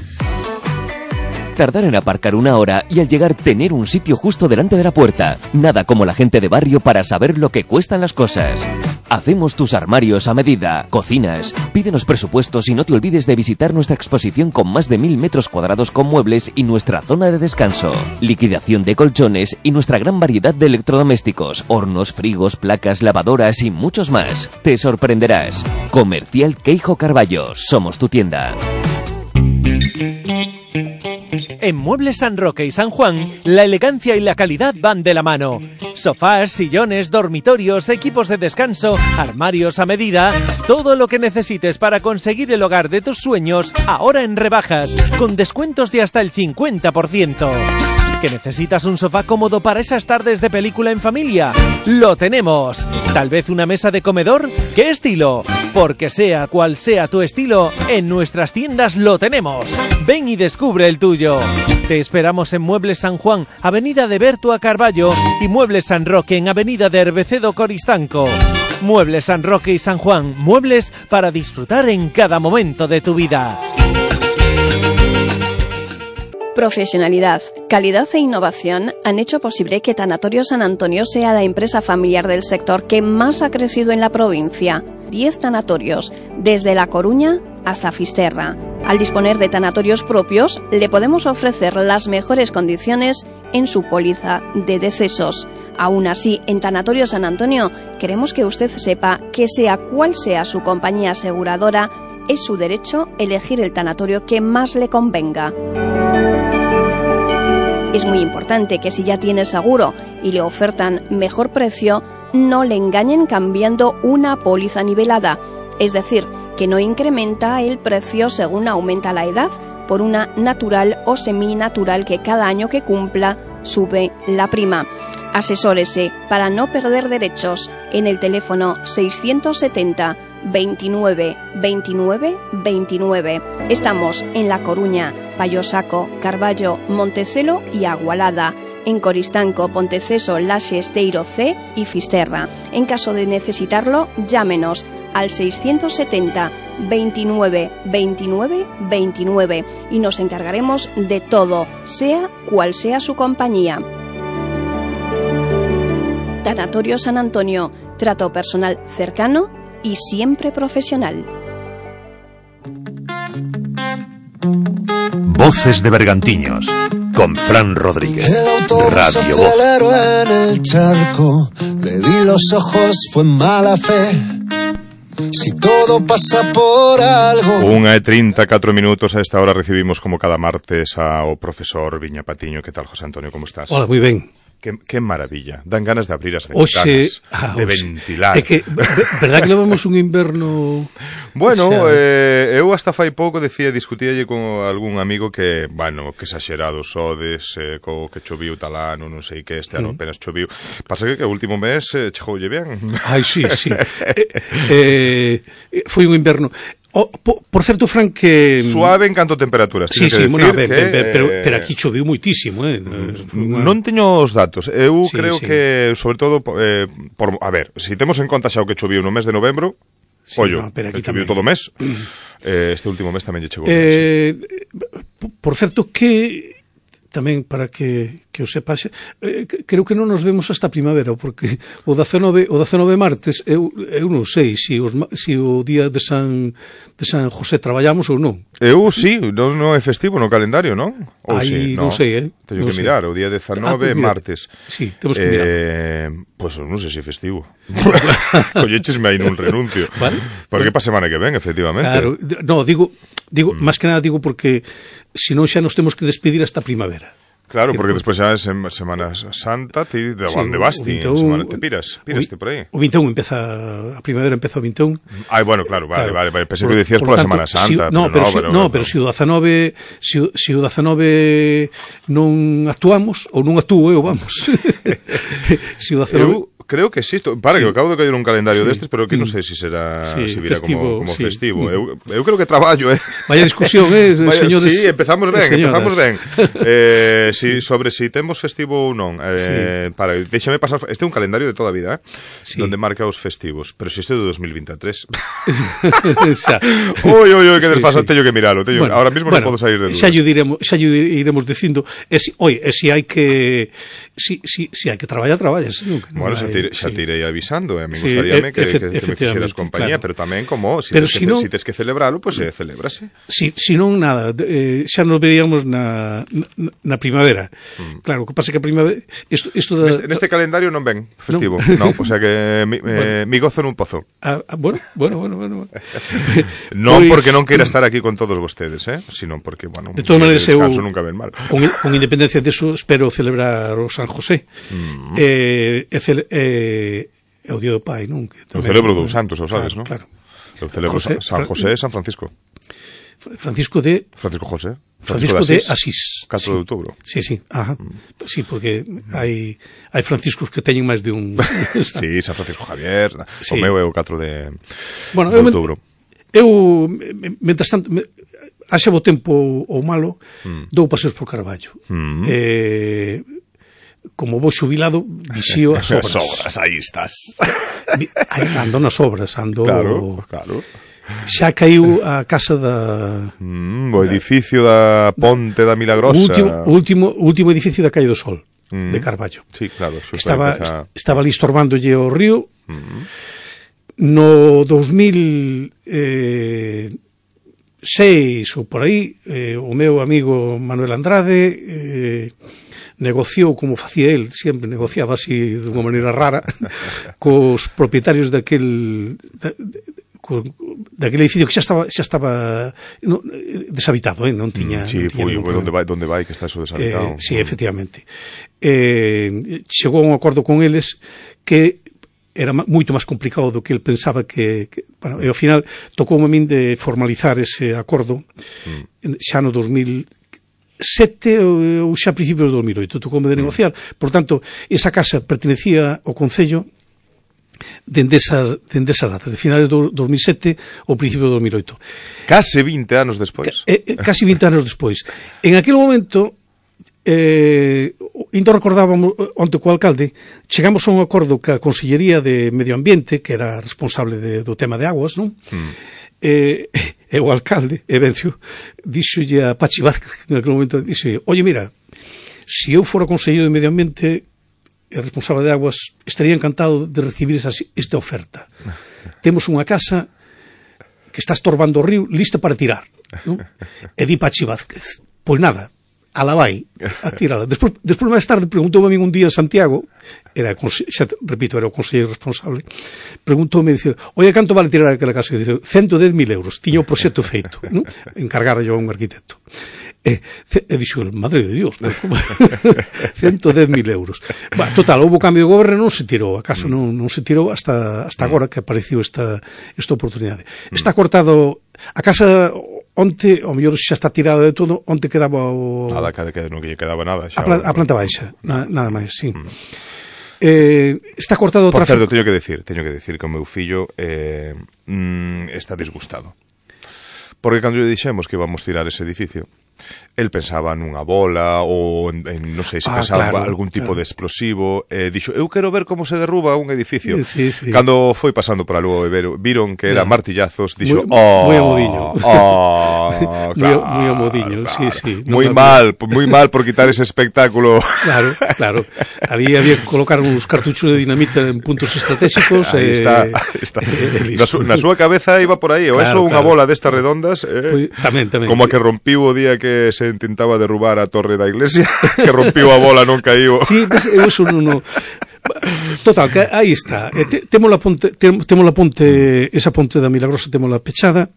Tardar en aparcar una hora y al llegar tener un sitio justo delante de la puerta. Nada como la gente de barrio para saber lo que cuestan las cosas. Hacemos tus armarios a medida, cocinas. Pídenos presupuestos y no te olvides de visitar nuestra exposición con más de 1000 metros cuadrados con muebles y nuestra zona de descanso. Liquidación de colchones y nuestra gran variedad de electrodomésticos, hornos, frigos, placas, lavadoras y muchos más. Te sorprenderás. Comercial Queijo Carballo. Somos tu tienda. En Muebles San Roque y San Juan, la elegancia y la calidad van de la mano. Sofás, sillones, dormitorios, equipos de descanso, armarios a medida, todo lo que necesites para conseguir el hogar de tus sueños, ahora en rebajas, con descuentos de hasta el 50%. ¿Que necesitas un sofá cómodo para esas tardes de película en familia? ¡Lo tenemos! ¿Tal vez una mesa de comedor? ¿Qué estilo? Porque sea cual sea tu estilo, en nuestras tiendas lo tenemos. Ven y descubre el tuyo. Te esperamos en Muebles San Juan, Avenida de Bertua Carballo, y Muebles San Roque en Avenida de Herbecedo Coristanco. Muebles San Roque y San Juan, muebles para disfrutar en cada momento de tu vida. Profesionalidad, calidad e innovación han hecho posible que Tanatorio San Antonio sea la empresa familiar del sector que más ha crecido en la provincia. 10 tanatorios, desde La Coruña hasta Fisterra. Al disponer de tanatorios propios, le podemos ofrecer las mejores condiciones en su póliza de decesos. Aún así, en Tanatorio San Antonio, queremos que usted sepa que sea cual sea su compañía aseguradora, es su derecho elegir el tanatorio que más le convenga. Es muy importante que si ya tiene seguro y le ofertan mejor precio, no le engañen cambiando una póliza nivelada, es decir, que no incrementa el precio según aumenta la edad por una natural o seminatural que cada año que cumpla sube la prima. Asesórese para no perder derechos en el teléfono 670 29 29 29. Estamos en La Coruña, Payosaco, Carballo, Montecelo y Agualada. En Coristanco, Ponteceso, Laxe, Esteiro C y Fisterra. En caso de necesitarlo, llámenos al 670 29 29 29 y nos encargaremos de todo, sea cual sea su compañía. Tanatorio San Antonio, trato personal cercano y siempre profesional. Voces de Bergantiños, con Fran Rodríguez, Radio Voz. Aceleró en el charco, le vi los ojos, fue mala fe. si todo pasa por algo. 1:34 minutos. A esta hora recibimos como cada martes ao profesor Viña Patiño. Que tal, José Antonio, como estás? Hola, moi ben. Que maravilla. Dan ganas de abrir as ventanas, de ventilar. É que, verdad que levamos un inverno... Bueno, eu hasta fai pouco discutíalle con algún amigo que, bueno, que exagerado sodes, co que choviu tal ano, non sei que este ano apenas choviu. Pasa que o último mes chegoulle ben. Ai, sí. Foi un inverno... por certo, Fran, que... Suave en canto a temperaturas. Sí, bueno, pero aquí choveu moitísimo, Non teño os datos. Eu creo que, sobre todo, a ver, se temos en conta xa o que choveu no mes de novembro, ollo, choveu todo o mes, este último mes tamén lle chegou. Por certo, que... tamén para que o sepas, creo que non nos vemos hasta primavera, porque o 19 martes eu non sei se o día de San José traballamos ou non. Eu sí, non é festivo no calendario, non? Aí non sei, Teño que mirar, o día 19 martes. Sí, temos que mirar. Pois non sei se é festivo. Colléchesme aí nun renuncio. Porque pa semana que ven, efectivamente. Claro, no, digo, máis que nada digo porque senón xa nos temos que despedir hasta primavera. Claro, porque despois xa é Semana Santa, ti de onde vas ti, semana te piraste por aí. O 21 empeza, a primavera empeza o 21. Ai, bueno, claro, vale, pensei que dicías pola Semana Santa. Pero se o 19 non actuamos, ou non actúo eu, vamos. Se o 19... Creo que sí, que acabo de caer un calendario destes, pero que non sei se será se vira como festivo. Eu creo que traballo, Vaya discusión, señores. Sí, empezamos ben. Sobre si temos festivo ou non. Déxame pasar, este é un calendario de toda a vida, donde marca os festivos, pero se este é de 2023. Oi, que desfasado, teño que miralo. Ahora mismo non podo sair de dúda. Xa iremos dicindo, se hai que traballar, traballas. Bueno, xa te irei avisando, a mí gustaríame que me fixeras compañía, pero tamén como, se tes que celebralo, pois celébrase. Si non, nada, xa nos veríamos na primavera. Claro, o que pasa que a primavera... Neste calendario non ven festivo, non, o sea que mi gozo nun pozo. Bueno. Non porque non queira estar aquí con todos vostedes, sino porque, bueno, de todas maneiras, eu nunca ven mal. Con independencia deso, espero celebrar o San José. É o Día do Pai, non? Eu celebro dos santos, sabes, non? Claro. Eu celebro San José e San Francisco. Francisco José. Francisco de Asís. 4 de outubro. Sí, ajá. Sí, porque hai franciscos que teñen máis de un... Sí, San Francisco Javier, o meu é o 4 de outubro. Eu, mentras tanto... haxa bo tempo ou malo, dou paseos por Carballo. Como vou xubilado, vixío as obras. Aí estás. Ando nas obras, Claro. Xa caiu a casa da... o edificio da Ponte da Milagrosa. O último edificio da Calle do Sol, de Carballo. Sí, claro. Estaba ali estorbándolle o río. No 2006 ou por aí, o meu amigo Manuel Andrade... negociou como facía el, sempre negociaba así de unha maneira rara cos propietarios daquele edificio que xa estaba deshabitado, non tiña... Sí, onde vai que está eso deshabitado. Sí, efectivamente. Chegou a un acordo con eles que era moito máis complicado do que el pensaba que bueno, e ao final tocou a min de formalizar ese acordo xa no 2007 ou xa a principios do 2008, tocoume de negociar. Por tanto, esa casa pertenecía ao Concello dende esas datas, de finales do 2007 ou principio do 2008. Case 20 anos despois. Casi 20 anos despois. En aquel momento, ainda recordábamos onte co alcalde, chegamos a un acordo que a Consellería de Medio Ambiente, que era responsable do tema de aguas, non? E o alcalde, Evencio, díxolle a Pachi Vázquez, en aquel momento, dixe, oye, mira, se eu fora conselleiro de Medio Ambiente e responsable de aguas, estaría encantado de recibir esta oferta. Temos unha casa que está estorbando o río, lista para tirar, non? E di Pachi Vázquez, pois nada, ala vai, a tirala. Despois máis tarde preguntou a min un día en Santiago, era o conselleiro responsable, preguntoume, dicir, oye, canto vale tirar aquela casa? E dice, 110.000 euros, tiña o proxecto feito, non? Encargara yo a un arquitecto. E dixo, madre de Dios, 110.000 euros. Total, houve cambio de goberno, non se tirou, a casa non se tirou hasta agora que apareceu esta oportunidade. Está cortado, a casa onte, ao mellor xa está tirada de todo, onte quedaba o... Nada, que non quedaba nada. A planta baixa, nada máis, sí. Está cortado o tráfico. Por certo, teño que decir que o meu fillo está disgustado. Porque cando lle dixemos que íbamos tirar ese edificio, el pensaba nunha bola ou non sei se pensaba algún tipo de explosivo, dixo, eu quero ver como se derruba un edificio. Sí. Cando foi pasando por algo e viron que era martillazos, dixo, moi amodiño. Claro, moi amodiño, sí. Moi mal por quitar ese espectáculo. Claro. Ali había que colocar uns cartuchos de dinamita en puntos estratégicos. Aí está. Na súa cabeza iba por aí, ou eso unha bola destas redondas, tamén. Como a que rompiu o día que se intentaba derrubar a torre da iglesia, que rompiu a bola, non caíu. Sí, eso non... Total, que aí está. Temos a ponte, esa ponte da Milagrosa temos pechada.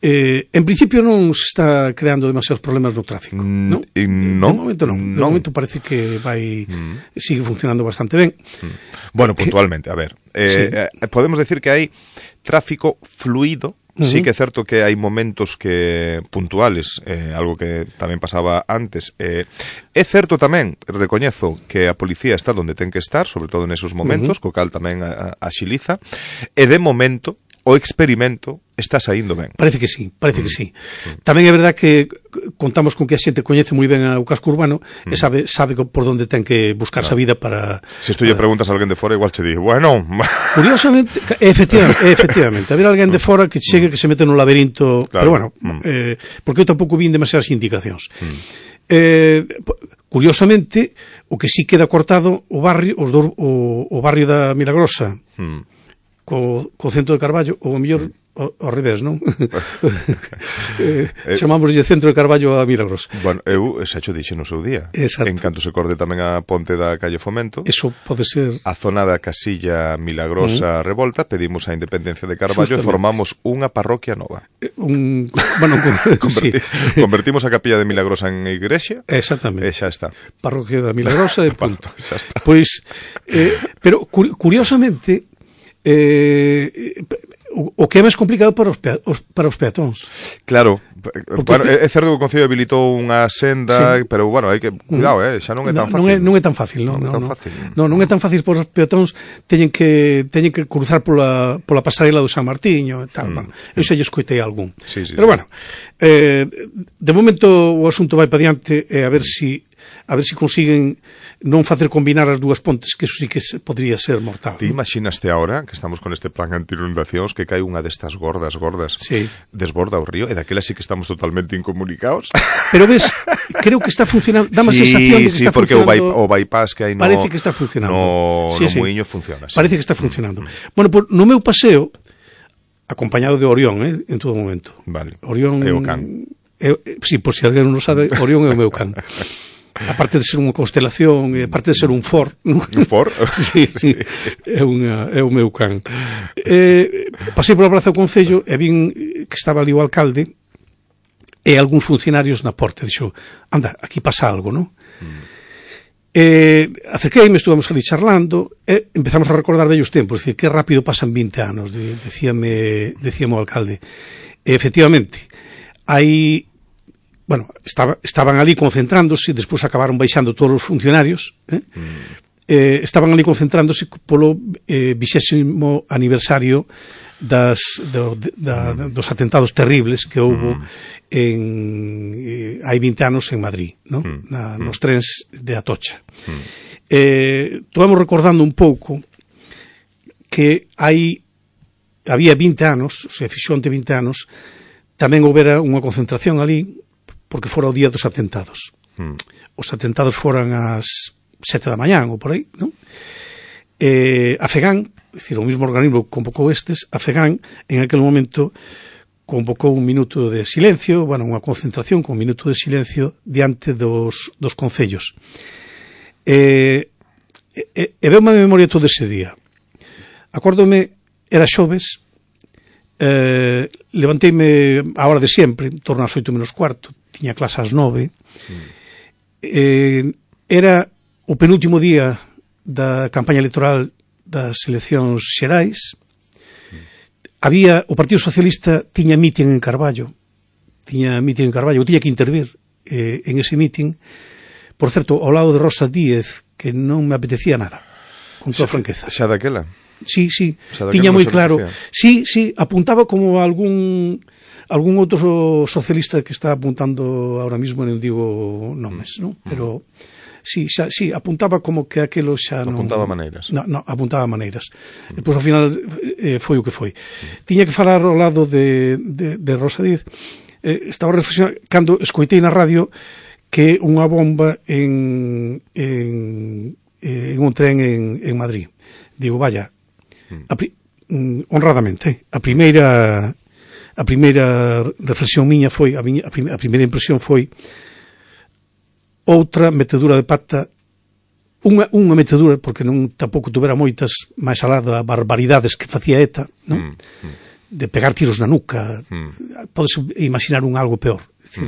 En principio non se está creando demasiados problemas no tráfico, non? De momento non. De momento parece que sigue funcionando bastante ben. Bueno, puntualmente, a ver. Podemos decir que hai tráfico fluido. Sí que é certo que hai momentos que puntuales, algo que tamén pasaba antes. É certo tamén, recoñezo, que a policía está onde ten que estar, sobre todo nesos momentos, co cal tamén axiliza, e de momento o experimento está saindo ben. Parece que sí. Tamén é verdad que contamos con que a xente coñece moi ben o casco urbano e sabe por onde ten que buscarse a vida para... Se tú lle preguntas a alguén de fora, igual che di, bueno... Curiosamente, efectivamente, haber alguén de fora que chegue, que se mete no laberinto, pero bueno, porque eu tampouco vin demasiadas indicacións. Curiosamente, o que sí queda cortado o barrio da Milagrosa, co centro de Carballo, ou ao mellor ao revés, non? Chamámoslle centro de Carballo a Milagrosa. Bueno, eu xa xo dixe no seu día. Exacto. En canto se corde tamén a ponte da calle Fomento, eso pode ser a zona da Casilla Milagrosa Revolta, pedimos a independencia de Carballo e formamos unha parroquia nova. Convertimos a capilla de Milagrosa en igrexa. Exactamente. E xa está. Parroquia da Milagrosa e punto. Xa está. Pois, pero curiosamente, o que é máis complicado para os peatóns. Claro, bueno, é certo que o Concello habilitou unha senda, pero bueno, hai que cuidado, xa non é tan fácil. Non é tan fácil, non é tan fácil para os peatóns, teñen que cruzar pola pasarela do San Martiño e tal, eu xa lle escoitei algún. Pero bueno, de momento o asunto vai para diante e a ver se consiguen non facer combinar as dúas pontes, que eso sí que podría ser mortal. Ti imaginaste ahora que estamos con este plan anti-inundacións que cae unha destas gordas, desborda o río, e daquela sí que estamos totalmente incomunicados. Pero ves, creo que está funcionando, dá má sensación de que está funcionando. Sí, porque o bypass que hai parece que está funcionando. No muiño funciona. Parece que está funcionando. Bueno, no meu paseo, acompañado de Orión, en todo momento. Vale. Orión é o can. Sí, por si alguén non sabe, Orión é o meu can. Aparte de ser unha constelación, aparte de ser un for. Un for? Sí. É o meu can. Pasei pola Praza do Concello e vin que estaba ali o alcalde e algúns funcionarios na porta. Dixo, anda, aquí pasa algo, non? Acerqueime, estuvamos ali charlando e empezamos a recordar vellos tempos, dicir, que rápido pasan 20 anos, decíame o alcalde. E efectivamente, hai... Bueno, estaban ali concentrándose, despois acabaron baixando todos os funcionarios, estaban ali concentrándose polo 20º aniversario dos atentados terribles que houbo hai 20 anos en Madrid, non? Nos trens de Atocha. Estivemos recordando un pouco que había 20 anos, o sea, fixo onte 20 anos, tamén houbera unha concentración ali, porque fora o día dos atentados. Os atentados foran ás 7 da mañán ou por aí, non? A FEGAN, é dicir, o mismo organismo que convocou estes, a FEGAN, en aquel momento, convocou un minuto de silencio, bueno, unha concentración con un minuto de silencio diante dos concellos. E veume a memoria todo ese día. Acórdome, era xoves, levanteime a hora de sempre, en torno ás 8 menos cuarto, tiña clase ás 9, era o penúltimo día da campaña electoral das eleccións xerais. O Partido Socialista tiña mitin en Carballo, eu tiña que intervir en ese mitin, por certo, ao lado de Rosa Díez, que non me apetecía nada, con toda franqueza. Xa daquela? Sí, tiña moi claro. Sí, apuntaba como algún outro socialista que está apuntando ahora mismo, non digo nomes, non? Pero sí, apuntaba como que aquelo xa non... Apuntaba maneiras. Non, apuntaba maneiras. Depois, ao final, foi o que foi. Tiña que falar ao lado de Rosa Díez. Estaba reflexionando, cando escoitei na radio que unha bomba en un tren en Madrid. Digo, vaya, honradamente, a primeira reflexión miña foi, a primeira impresión foi outra metedura de pata, unha metedura, porque non tampouco tuvera moitas, máis alá das barbaridades que facía ETA, non? De pegar tiros na nuca, podes imaginar algo peor,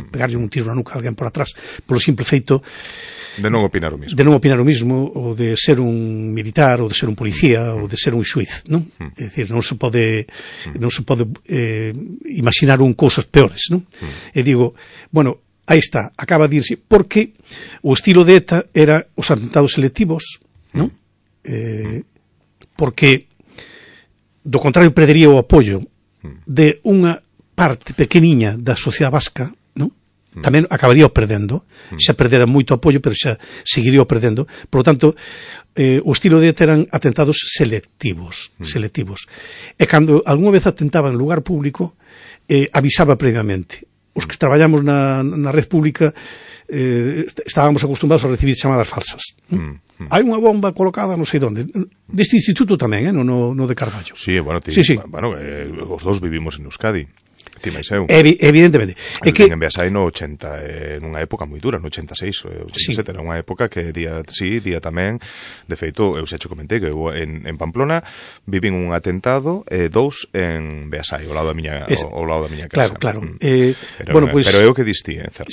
pegarlle un tiro na nuca a alguén por atrás, polo simple feito de non opinar o mismo, ou de ser un militar, ou de ser un policía, ou de ser un xuiz, non? É dicir, non se pode imaginar cousas peores, non? E digo, bueno, aí está, acaba de irse, porque o estilo de ETA era os atentados selectivos, non? Porque, do contrario, perdería o apoio de unha parte pequeniña da sociedade vasca, non? Tamén acabaría perdendo, xa perdera moito apoio, pero xa seguiría perdendo. Por lo tanto, o estilo de ETA eran atentados selectivos. E cando algunha vez atentaba en lugar público, avisaba previamente. Os que traballamos na red pública estábamos acostumbrados a recibir chamadas falsas. Hai unha bomba colocada non sei onde. Deste instituto tamén, no de Carballo. Sí, bueno, os dous vivimos en Euskadi. Ti máis eu. Evidentemente. É que en Beasai no 80, nunha época moi dura, no 86, 87, era unha época que día tamén. De feito, eu xa che comentei que eu en Pamplona vivín un atentado, 2 en Beasai, ao lado da miña casa. Claro. Pero eu que distí, certo.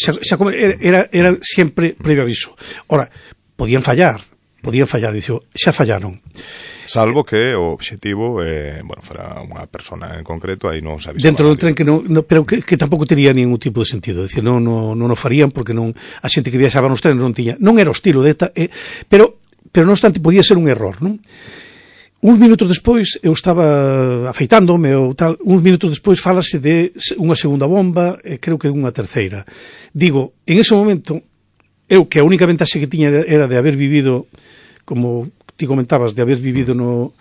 Era sempre previo aviso. Ora, podían fallar, dixo, xa fallaron. Salvo que o obxectivo fora unha persona en concreto, aí non se avisaba dentro do tren, pero que tampouco tería ningún tipo de sentido. É dicir, non o farían porque a xente que viaxaba nos trenes non era o estilo de ETA, pero non obstante podía ser un error, non? Uns minutos despois eu estaba afeitándome ou tal, uns minutos despois fálase de unha segunda bomba, creo que unha terceira. Digo, en ese momento eu, que a única ventaxe que tiña era de haber vivido, como ti comentabas, de haber vivido no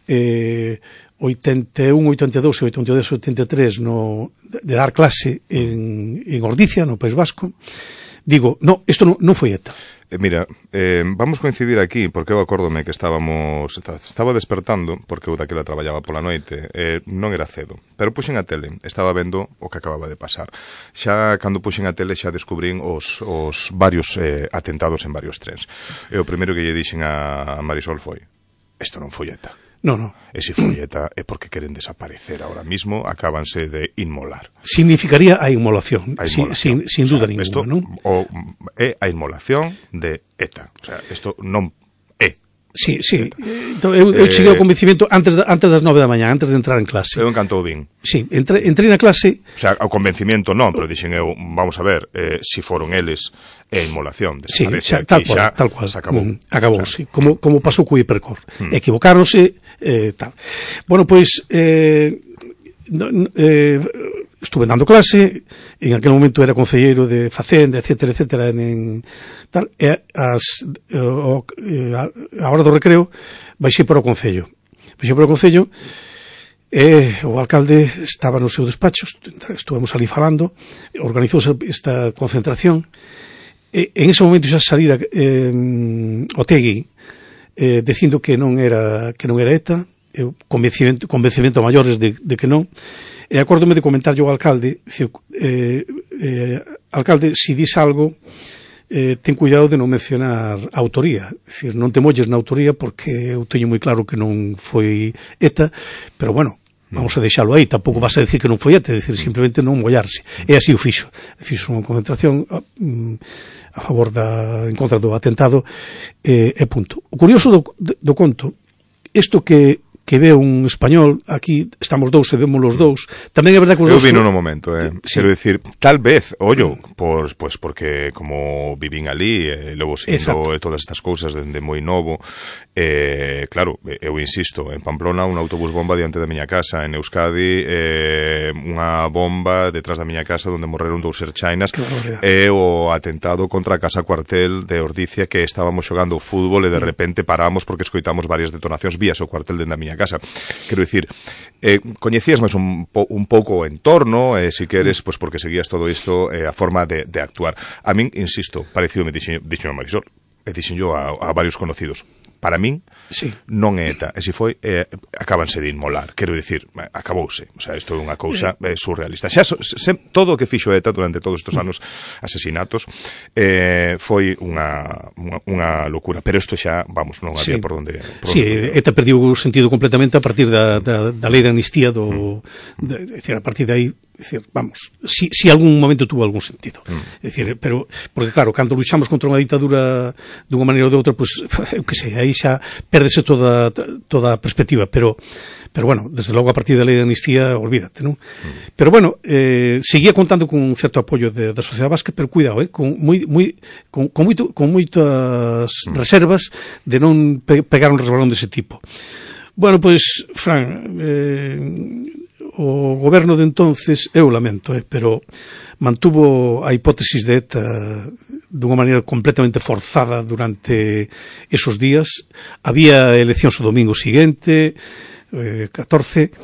81, 82 e 82, 83 de dar clase en Ordicia, no País Vasco. Digo, isto non foi ETA. Mira, vamos coincidir aquí, porque eu acórdome que estaba despertando, porque eu daquela traballaba pola noite, non era cedo, pero puxen a tele, estaba vendo o que acababa de pasar. Xa, cando puxen a tele, xa descubrín os varios atentados en varios trens. E o primeiro que lle dixen a Marisol foi: isto non foi ETA. Non. E se foi ETA é porque queren desaparecer ahora mismo, acábanse de inmolar. Significaría a inmolación, sin duda ninguna, non? É a inmolación de ETA. O sea, isto non é. Sí. Eu cheguei ao convencimento antes das 9 da mañá, antes de entrar en clase. Eu encantou bin. Sí, entrei na clase. O sea, ao convencimento non, pero dixen eu, vamos a ver, si foron eles, é inmolación. Sí, tal cual. Acabou, sí. Como pasou co Hipercor. Equivocáronse, tal. Bueno, pois, estuve dando clase, en aquel momento era concelleiro de Facenda, etcétera, tal, e a hora do recreo baixei para o concello, e o alcalde estaba no seu despacho, estuvemos ali falando, organizouse esta concentración, e en ese momento xa salira Otegui dicindo que non era ETA, convencimento maiores de que non, E acórdome de comentarlle ao alcalde, alcalde, se dis algo, ten cuidado de non mencionar a autoría, é dicir, non te molles na autoría porque eu teño moi claro que non foi ETA, pero bueno, vamos a deixalo aí, tampouco vas a decir que non foi ETA, é dicir, simplemente non mollarse, e así o fixo unha concentración a favor en contra do atentado, e punto. O curioso do conto, isto que ve un español, aquí estamos dous e vemos os dous, tamén é verdade que os dous... Eu vino no momento, sí. Quero dicir, tal vez, ollo, pues porque como vivín ali, logo sendo todas estas cousas dende moi novo, claro, eu insisto, en Pamplona un autobús bomba diante da miña casa, en Euskadi unha bomba detrás da miña casa onde morreron 2 erchainas, e o atentado contra a casa cuartel de Ordicia, que estábamos xogando fútbol e de repente paramos porque escoitamos varias detonacións vías o cuartel dende a miña casa. Quero dicir, coñecías máis un pouco o entorno, si queres, pois porque seguías todo isto, a forma de actuar. A min, insisto, parecíome, dixo a Marisol, e dixen yo a varios conocidos, para min non é ETA, e se foi, acabanse de inmolar, quero dicir, acabouse, o sea, isto é unha cousa surrealista. Xa, todo o que fixo ETA durante todos estes anos, asesinatos, foi unha locura, pero isto xa, vamos, non había por onde... ETA perdiu o sentido completamente a partir da lei de amnistía, decir, a partir de aí, decir, vamos, si algún momento tuvo algún sentido, decir, pero, porque claro, cando luchamos contra unha ditadura dunha maneira ou de outra, pois, eu que sei, aí xa perdese toda a perspectiva, pero bueno, desde logo a partir da lei de amnistía, olvídate, non? Pero bueno, seguía contando con un certo apoio da sociedade vasca, pero cuidado, con moitas reservas de non pegar un resbalón dese tipo. Bueno, pois, Fran, o goberno de entonces, eu lamento, pero mantuvo a hipótesis de ETA dunha maneira completamente forzada durante esos días. Había eleccións o domingo seguinte, 14,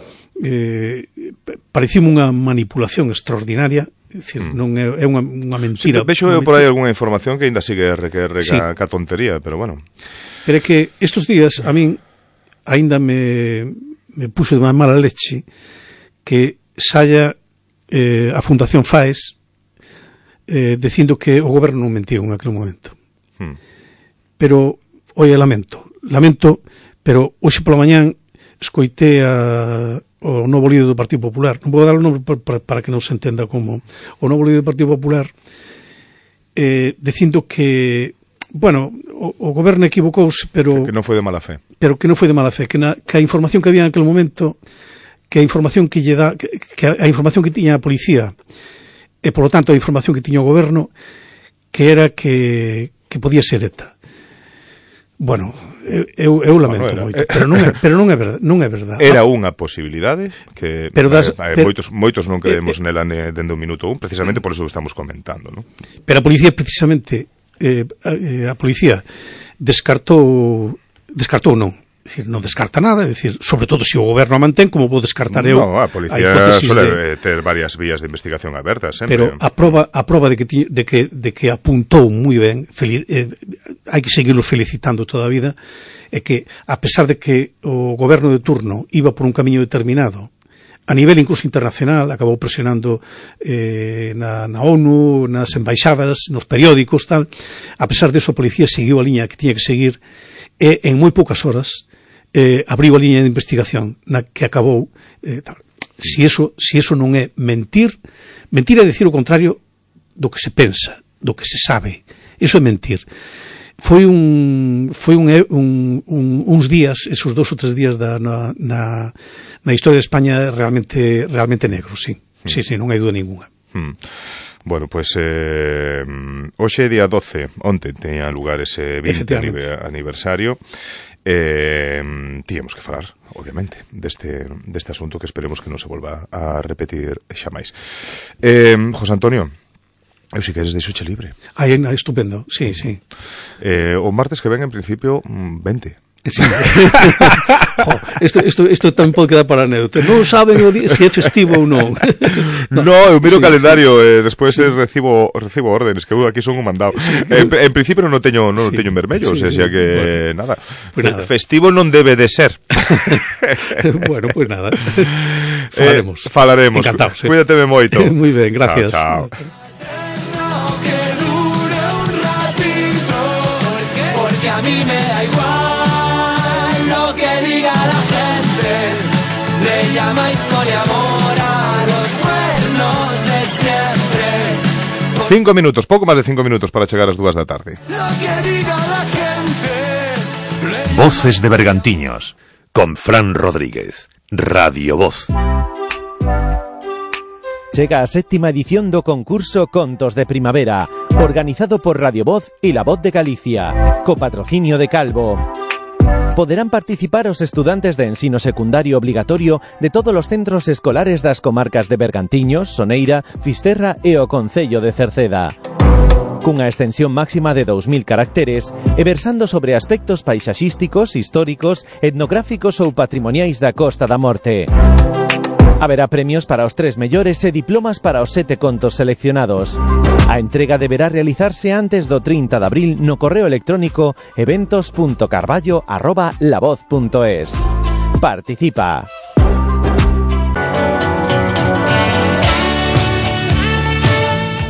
parecíame unha manipulación extraordinaria, é dicir, non é unha mentira. Vexo eu por aí algunha información que ainda sigue ca tontería, pero bueno. Pero é que estes días a min ainda me puxo de unha mala leche que saia a Fundación FAES dicindo que o goberno non mentiu en aquel momento. Pero, oi, lamento, pero hoxe pola mañán escoitei o novo líder do Partido Popular, non vou dar o nome para que non se entenda como o novo líder do Partido Popular, dicindo que, bueno, o goberno equivocouse, pero... Que non foi de mala fe. Pero que non foi de mala fe, que a información que había en aquel momento, que a información que lle dá, que a información que tiña a policía, e, polo tanto, a información que tiña o goberno, que era que podía ser ETA. Bueno, eu lamento moito, pero non é verdade. Era unha posibilidade que moitos non creemos nela dende o minuto 1, precisamente por eso que estamos comentando, non? Pero a policía precisamente a policía descartou non. É dicir, non descarta nada, é dicir, sobre todo se o goberno a mantén, como vou descartar eu. No, a policía suele ter varias vías de investigación abertas, sempre. Pero a proba de que apuntou moi ben, hai que seguirlo felicitando toda a vida, é que, a pesar de que o goberno de turno iba por un camiño determinado, a nivel incluso internacional, acabou presionando na ONU, nas embaixadas, nos periódicos, tal, a pesar de eso a policía seguiu a liña que tiña que seguir, e en moi poucas horas abriu a liña de investigación na que acabou tal. Si eso non é mentir é decir o contrario do que se pensa, do que se sabe. Eso é mentir. Foi uns días, esos 2 ou 3 días na historia de España realmente negros, sí. Sí, non hai dúda ninguna. Bueno, pois hoxe é día 12, onte teña lugar ese 20 aniversario. Tíamos que falar, obviamente, deste asunto que esperemos que non se volva a repetir xa máis. José Antonio, eu si queres deixoche libre. Estupendo, sí. O martes que ven, en principio, 20. Sí. Isto tamén pode quedar para anécdota. Non saben se é festivo ou non. No, eu miro o calendario e despois recibo órdenes, que eu aquí son un mandado. En principio non teño en vermello, o sea que nada. Festivo non debe de ser. Bueno, pues nada. Falaremos. Encantados. Cuídateme moito. Muy ben, gracias. Chao. Porque a mí me da igual lo que diga la gente. Le llamáis poliamor a los cuernos de siempre. 5 minutos, pouco máis de 5 minutos para chegar ás 2 da tarde. Lo que diga la gente. Voces de Bergantiños, con Fran Rodríguez, Radio Voz. Chega a 7ª edición do concurso Contos de Primavera, organizado por Radio Voz e La Voz de Galicia, co patrocinio de Calvo. Poderán participar os estudantes de ensino secundario obligatorio de todos os centros escolares das comarcas de Bergantiños, Soneira, Fisterra e o concello de Cerceda. Cunha extensión máxima de 2000 caracteres e versando sobre aspectos paisaxísticos, históricos, etnográficos ou patrimoniais da Costa da Morte. Haberá premios para os 3 mellores e diplomas para os 7 contos seleccionados. A entrega deberá realizarse antes do 30 de abril no correo electrónico eventos.carballo@lavoz.es. Participa.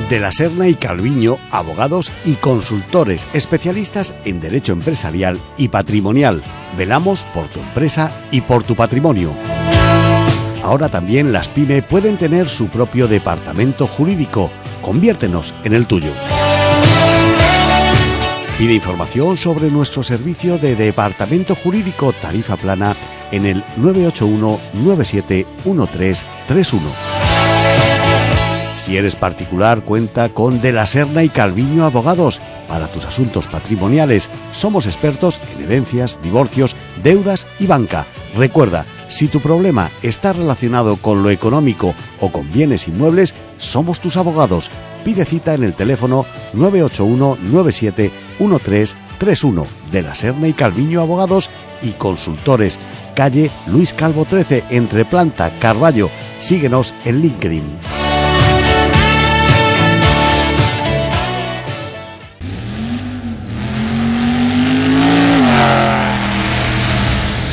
De la Serna y Calviño, abogados y consultores especialistas en derecho empresarial y patrimonial. Velamos por tu empresa y por tu patrimonio. Ahora también las PYME pueden tener su propio departamento jurídico. Conviértenos en el tuyo. Pide información sobre nuestro servicio de departamento jurídico tarifa plana en el 981 97 1331. Si eres particular, cuenta con De la Serna y Calviño Abogados. Para tus asuntos patrimoniales, somos expertos en herencias, divorcios, deudas y banca. Recuerda, si tu problema está relacionado con lo económico o con bienes inmuebles, somos tus abogados. Pide cita en el teléfono 981 97 1331. De la Serna y Calviño Abogados y Consultores. Calle Luis Calvo 13, entre Planta, Carballo. Síguenos en LinkedIn.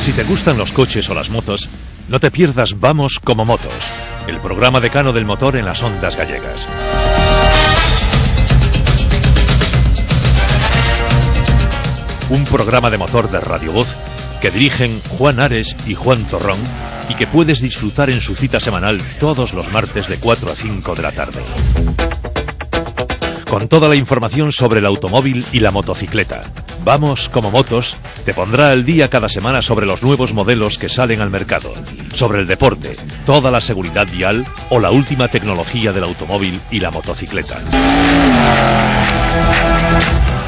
Si te gustan los coches o las motos, no te pierdas Vamos como Motos, el programa decano del motor en las ondas gallegas. Un programa de motor de Radio Voz que dirigen Juan Ares y Juan Torrón y que puedes disfrutar en su cita semanal todos los martes de 4 a 5 de la tarde. Con toda la información sobre el automóvil y la motocicleta. Vamos como Motos te pondrá al día cada semana sobre los nuevos modelos que salen al mercado, sobre el deporte, toda la seguridad vial o la última tecnología del automóvil y la motocicleta.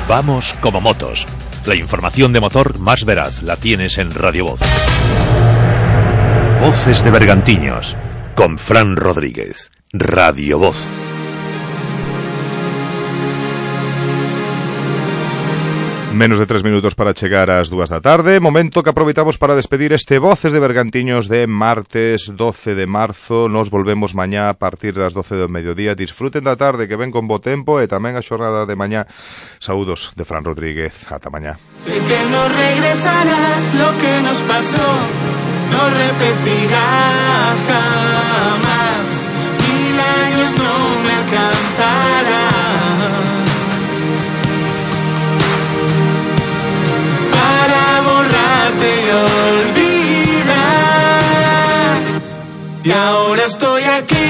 Vamos como Motos. La información de motor más veraz la tienes en Radio Voz. Voces de Bergantiños, con Fran Rodríguez, Radio Voz. Menos de 3 minutos para chegar ás 2 da tarde. Momento que aproveitamos para despedir este Voces de Bergantiños de martes 12 de marzo. Nos volvemos mañá a partir das 12 do mediodía. Disfruten da tarde, que ven con bo tempo, e tamén a xornada de mañá. Saúdos de Fran Rodríguez. Ata mañá. Sé que no regresarás, lo que nos pasó no repetirá jamás. 1000 años no me alcanzarán y olvidar. Y ahora estoy aquí,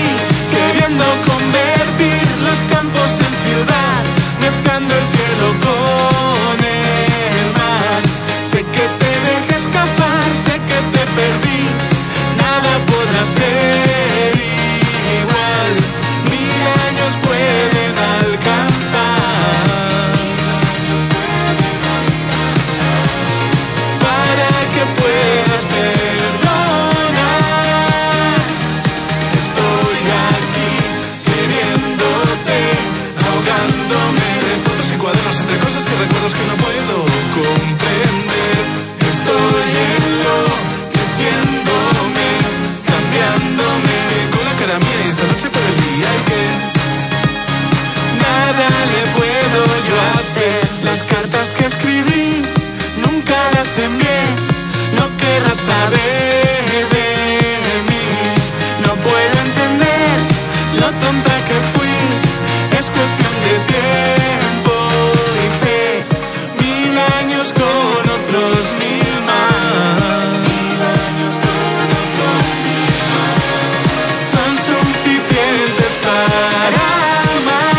queriendo convertir los campos en ciudad, mezclando el cielo con el mar. Sé que te dejé escapar, sé que te perdí, nada podrá ser igual. 1000 años pueden alcanzar puedes perdonar. Estoy Las cartas que escribí nunca las envié. No querrás saber de mí. No puedo entender lo tonta que fui. Es cuestión de tiempo y fe. 1000 años con otros 1000 más. 1000 años con otros 1000 más. Son suficientes para amar.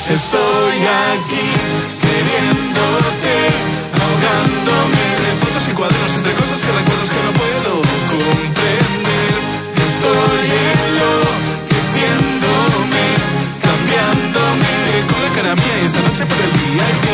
Estoy aquí queriéndote, ahogándome de fotos y cuadernos entre cosas y recuerdos que no puedo comprender. Estoy enloqueciéndome, cambiándome con la cara mía y esta noche por el día.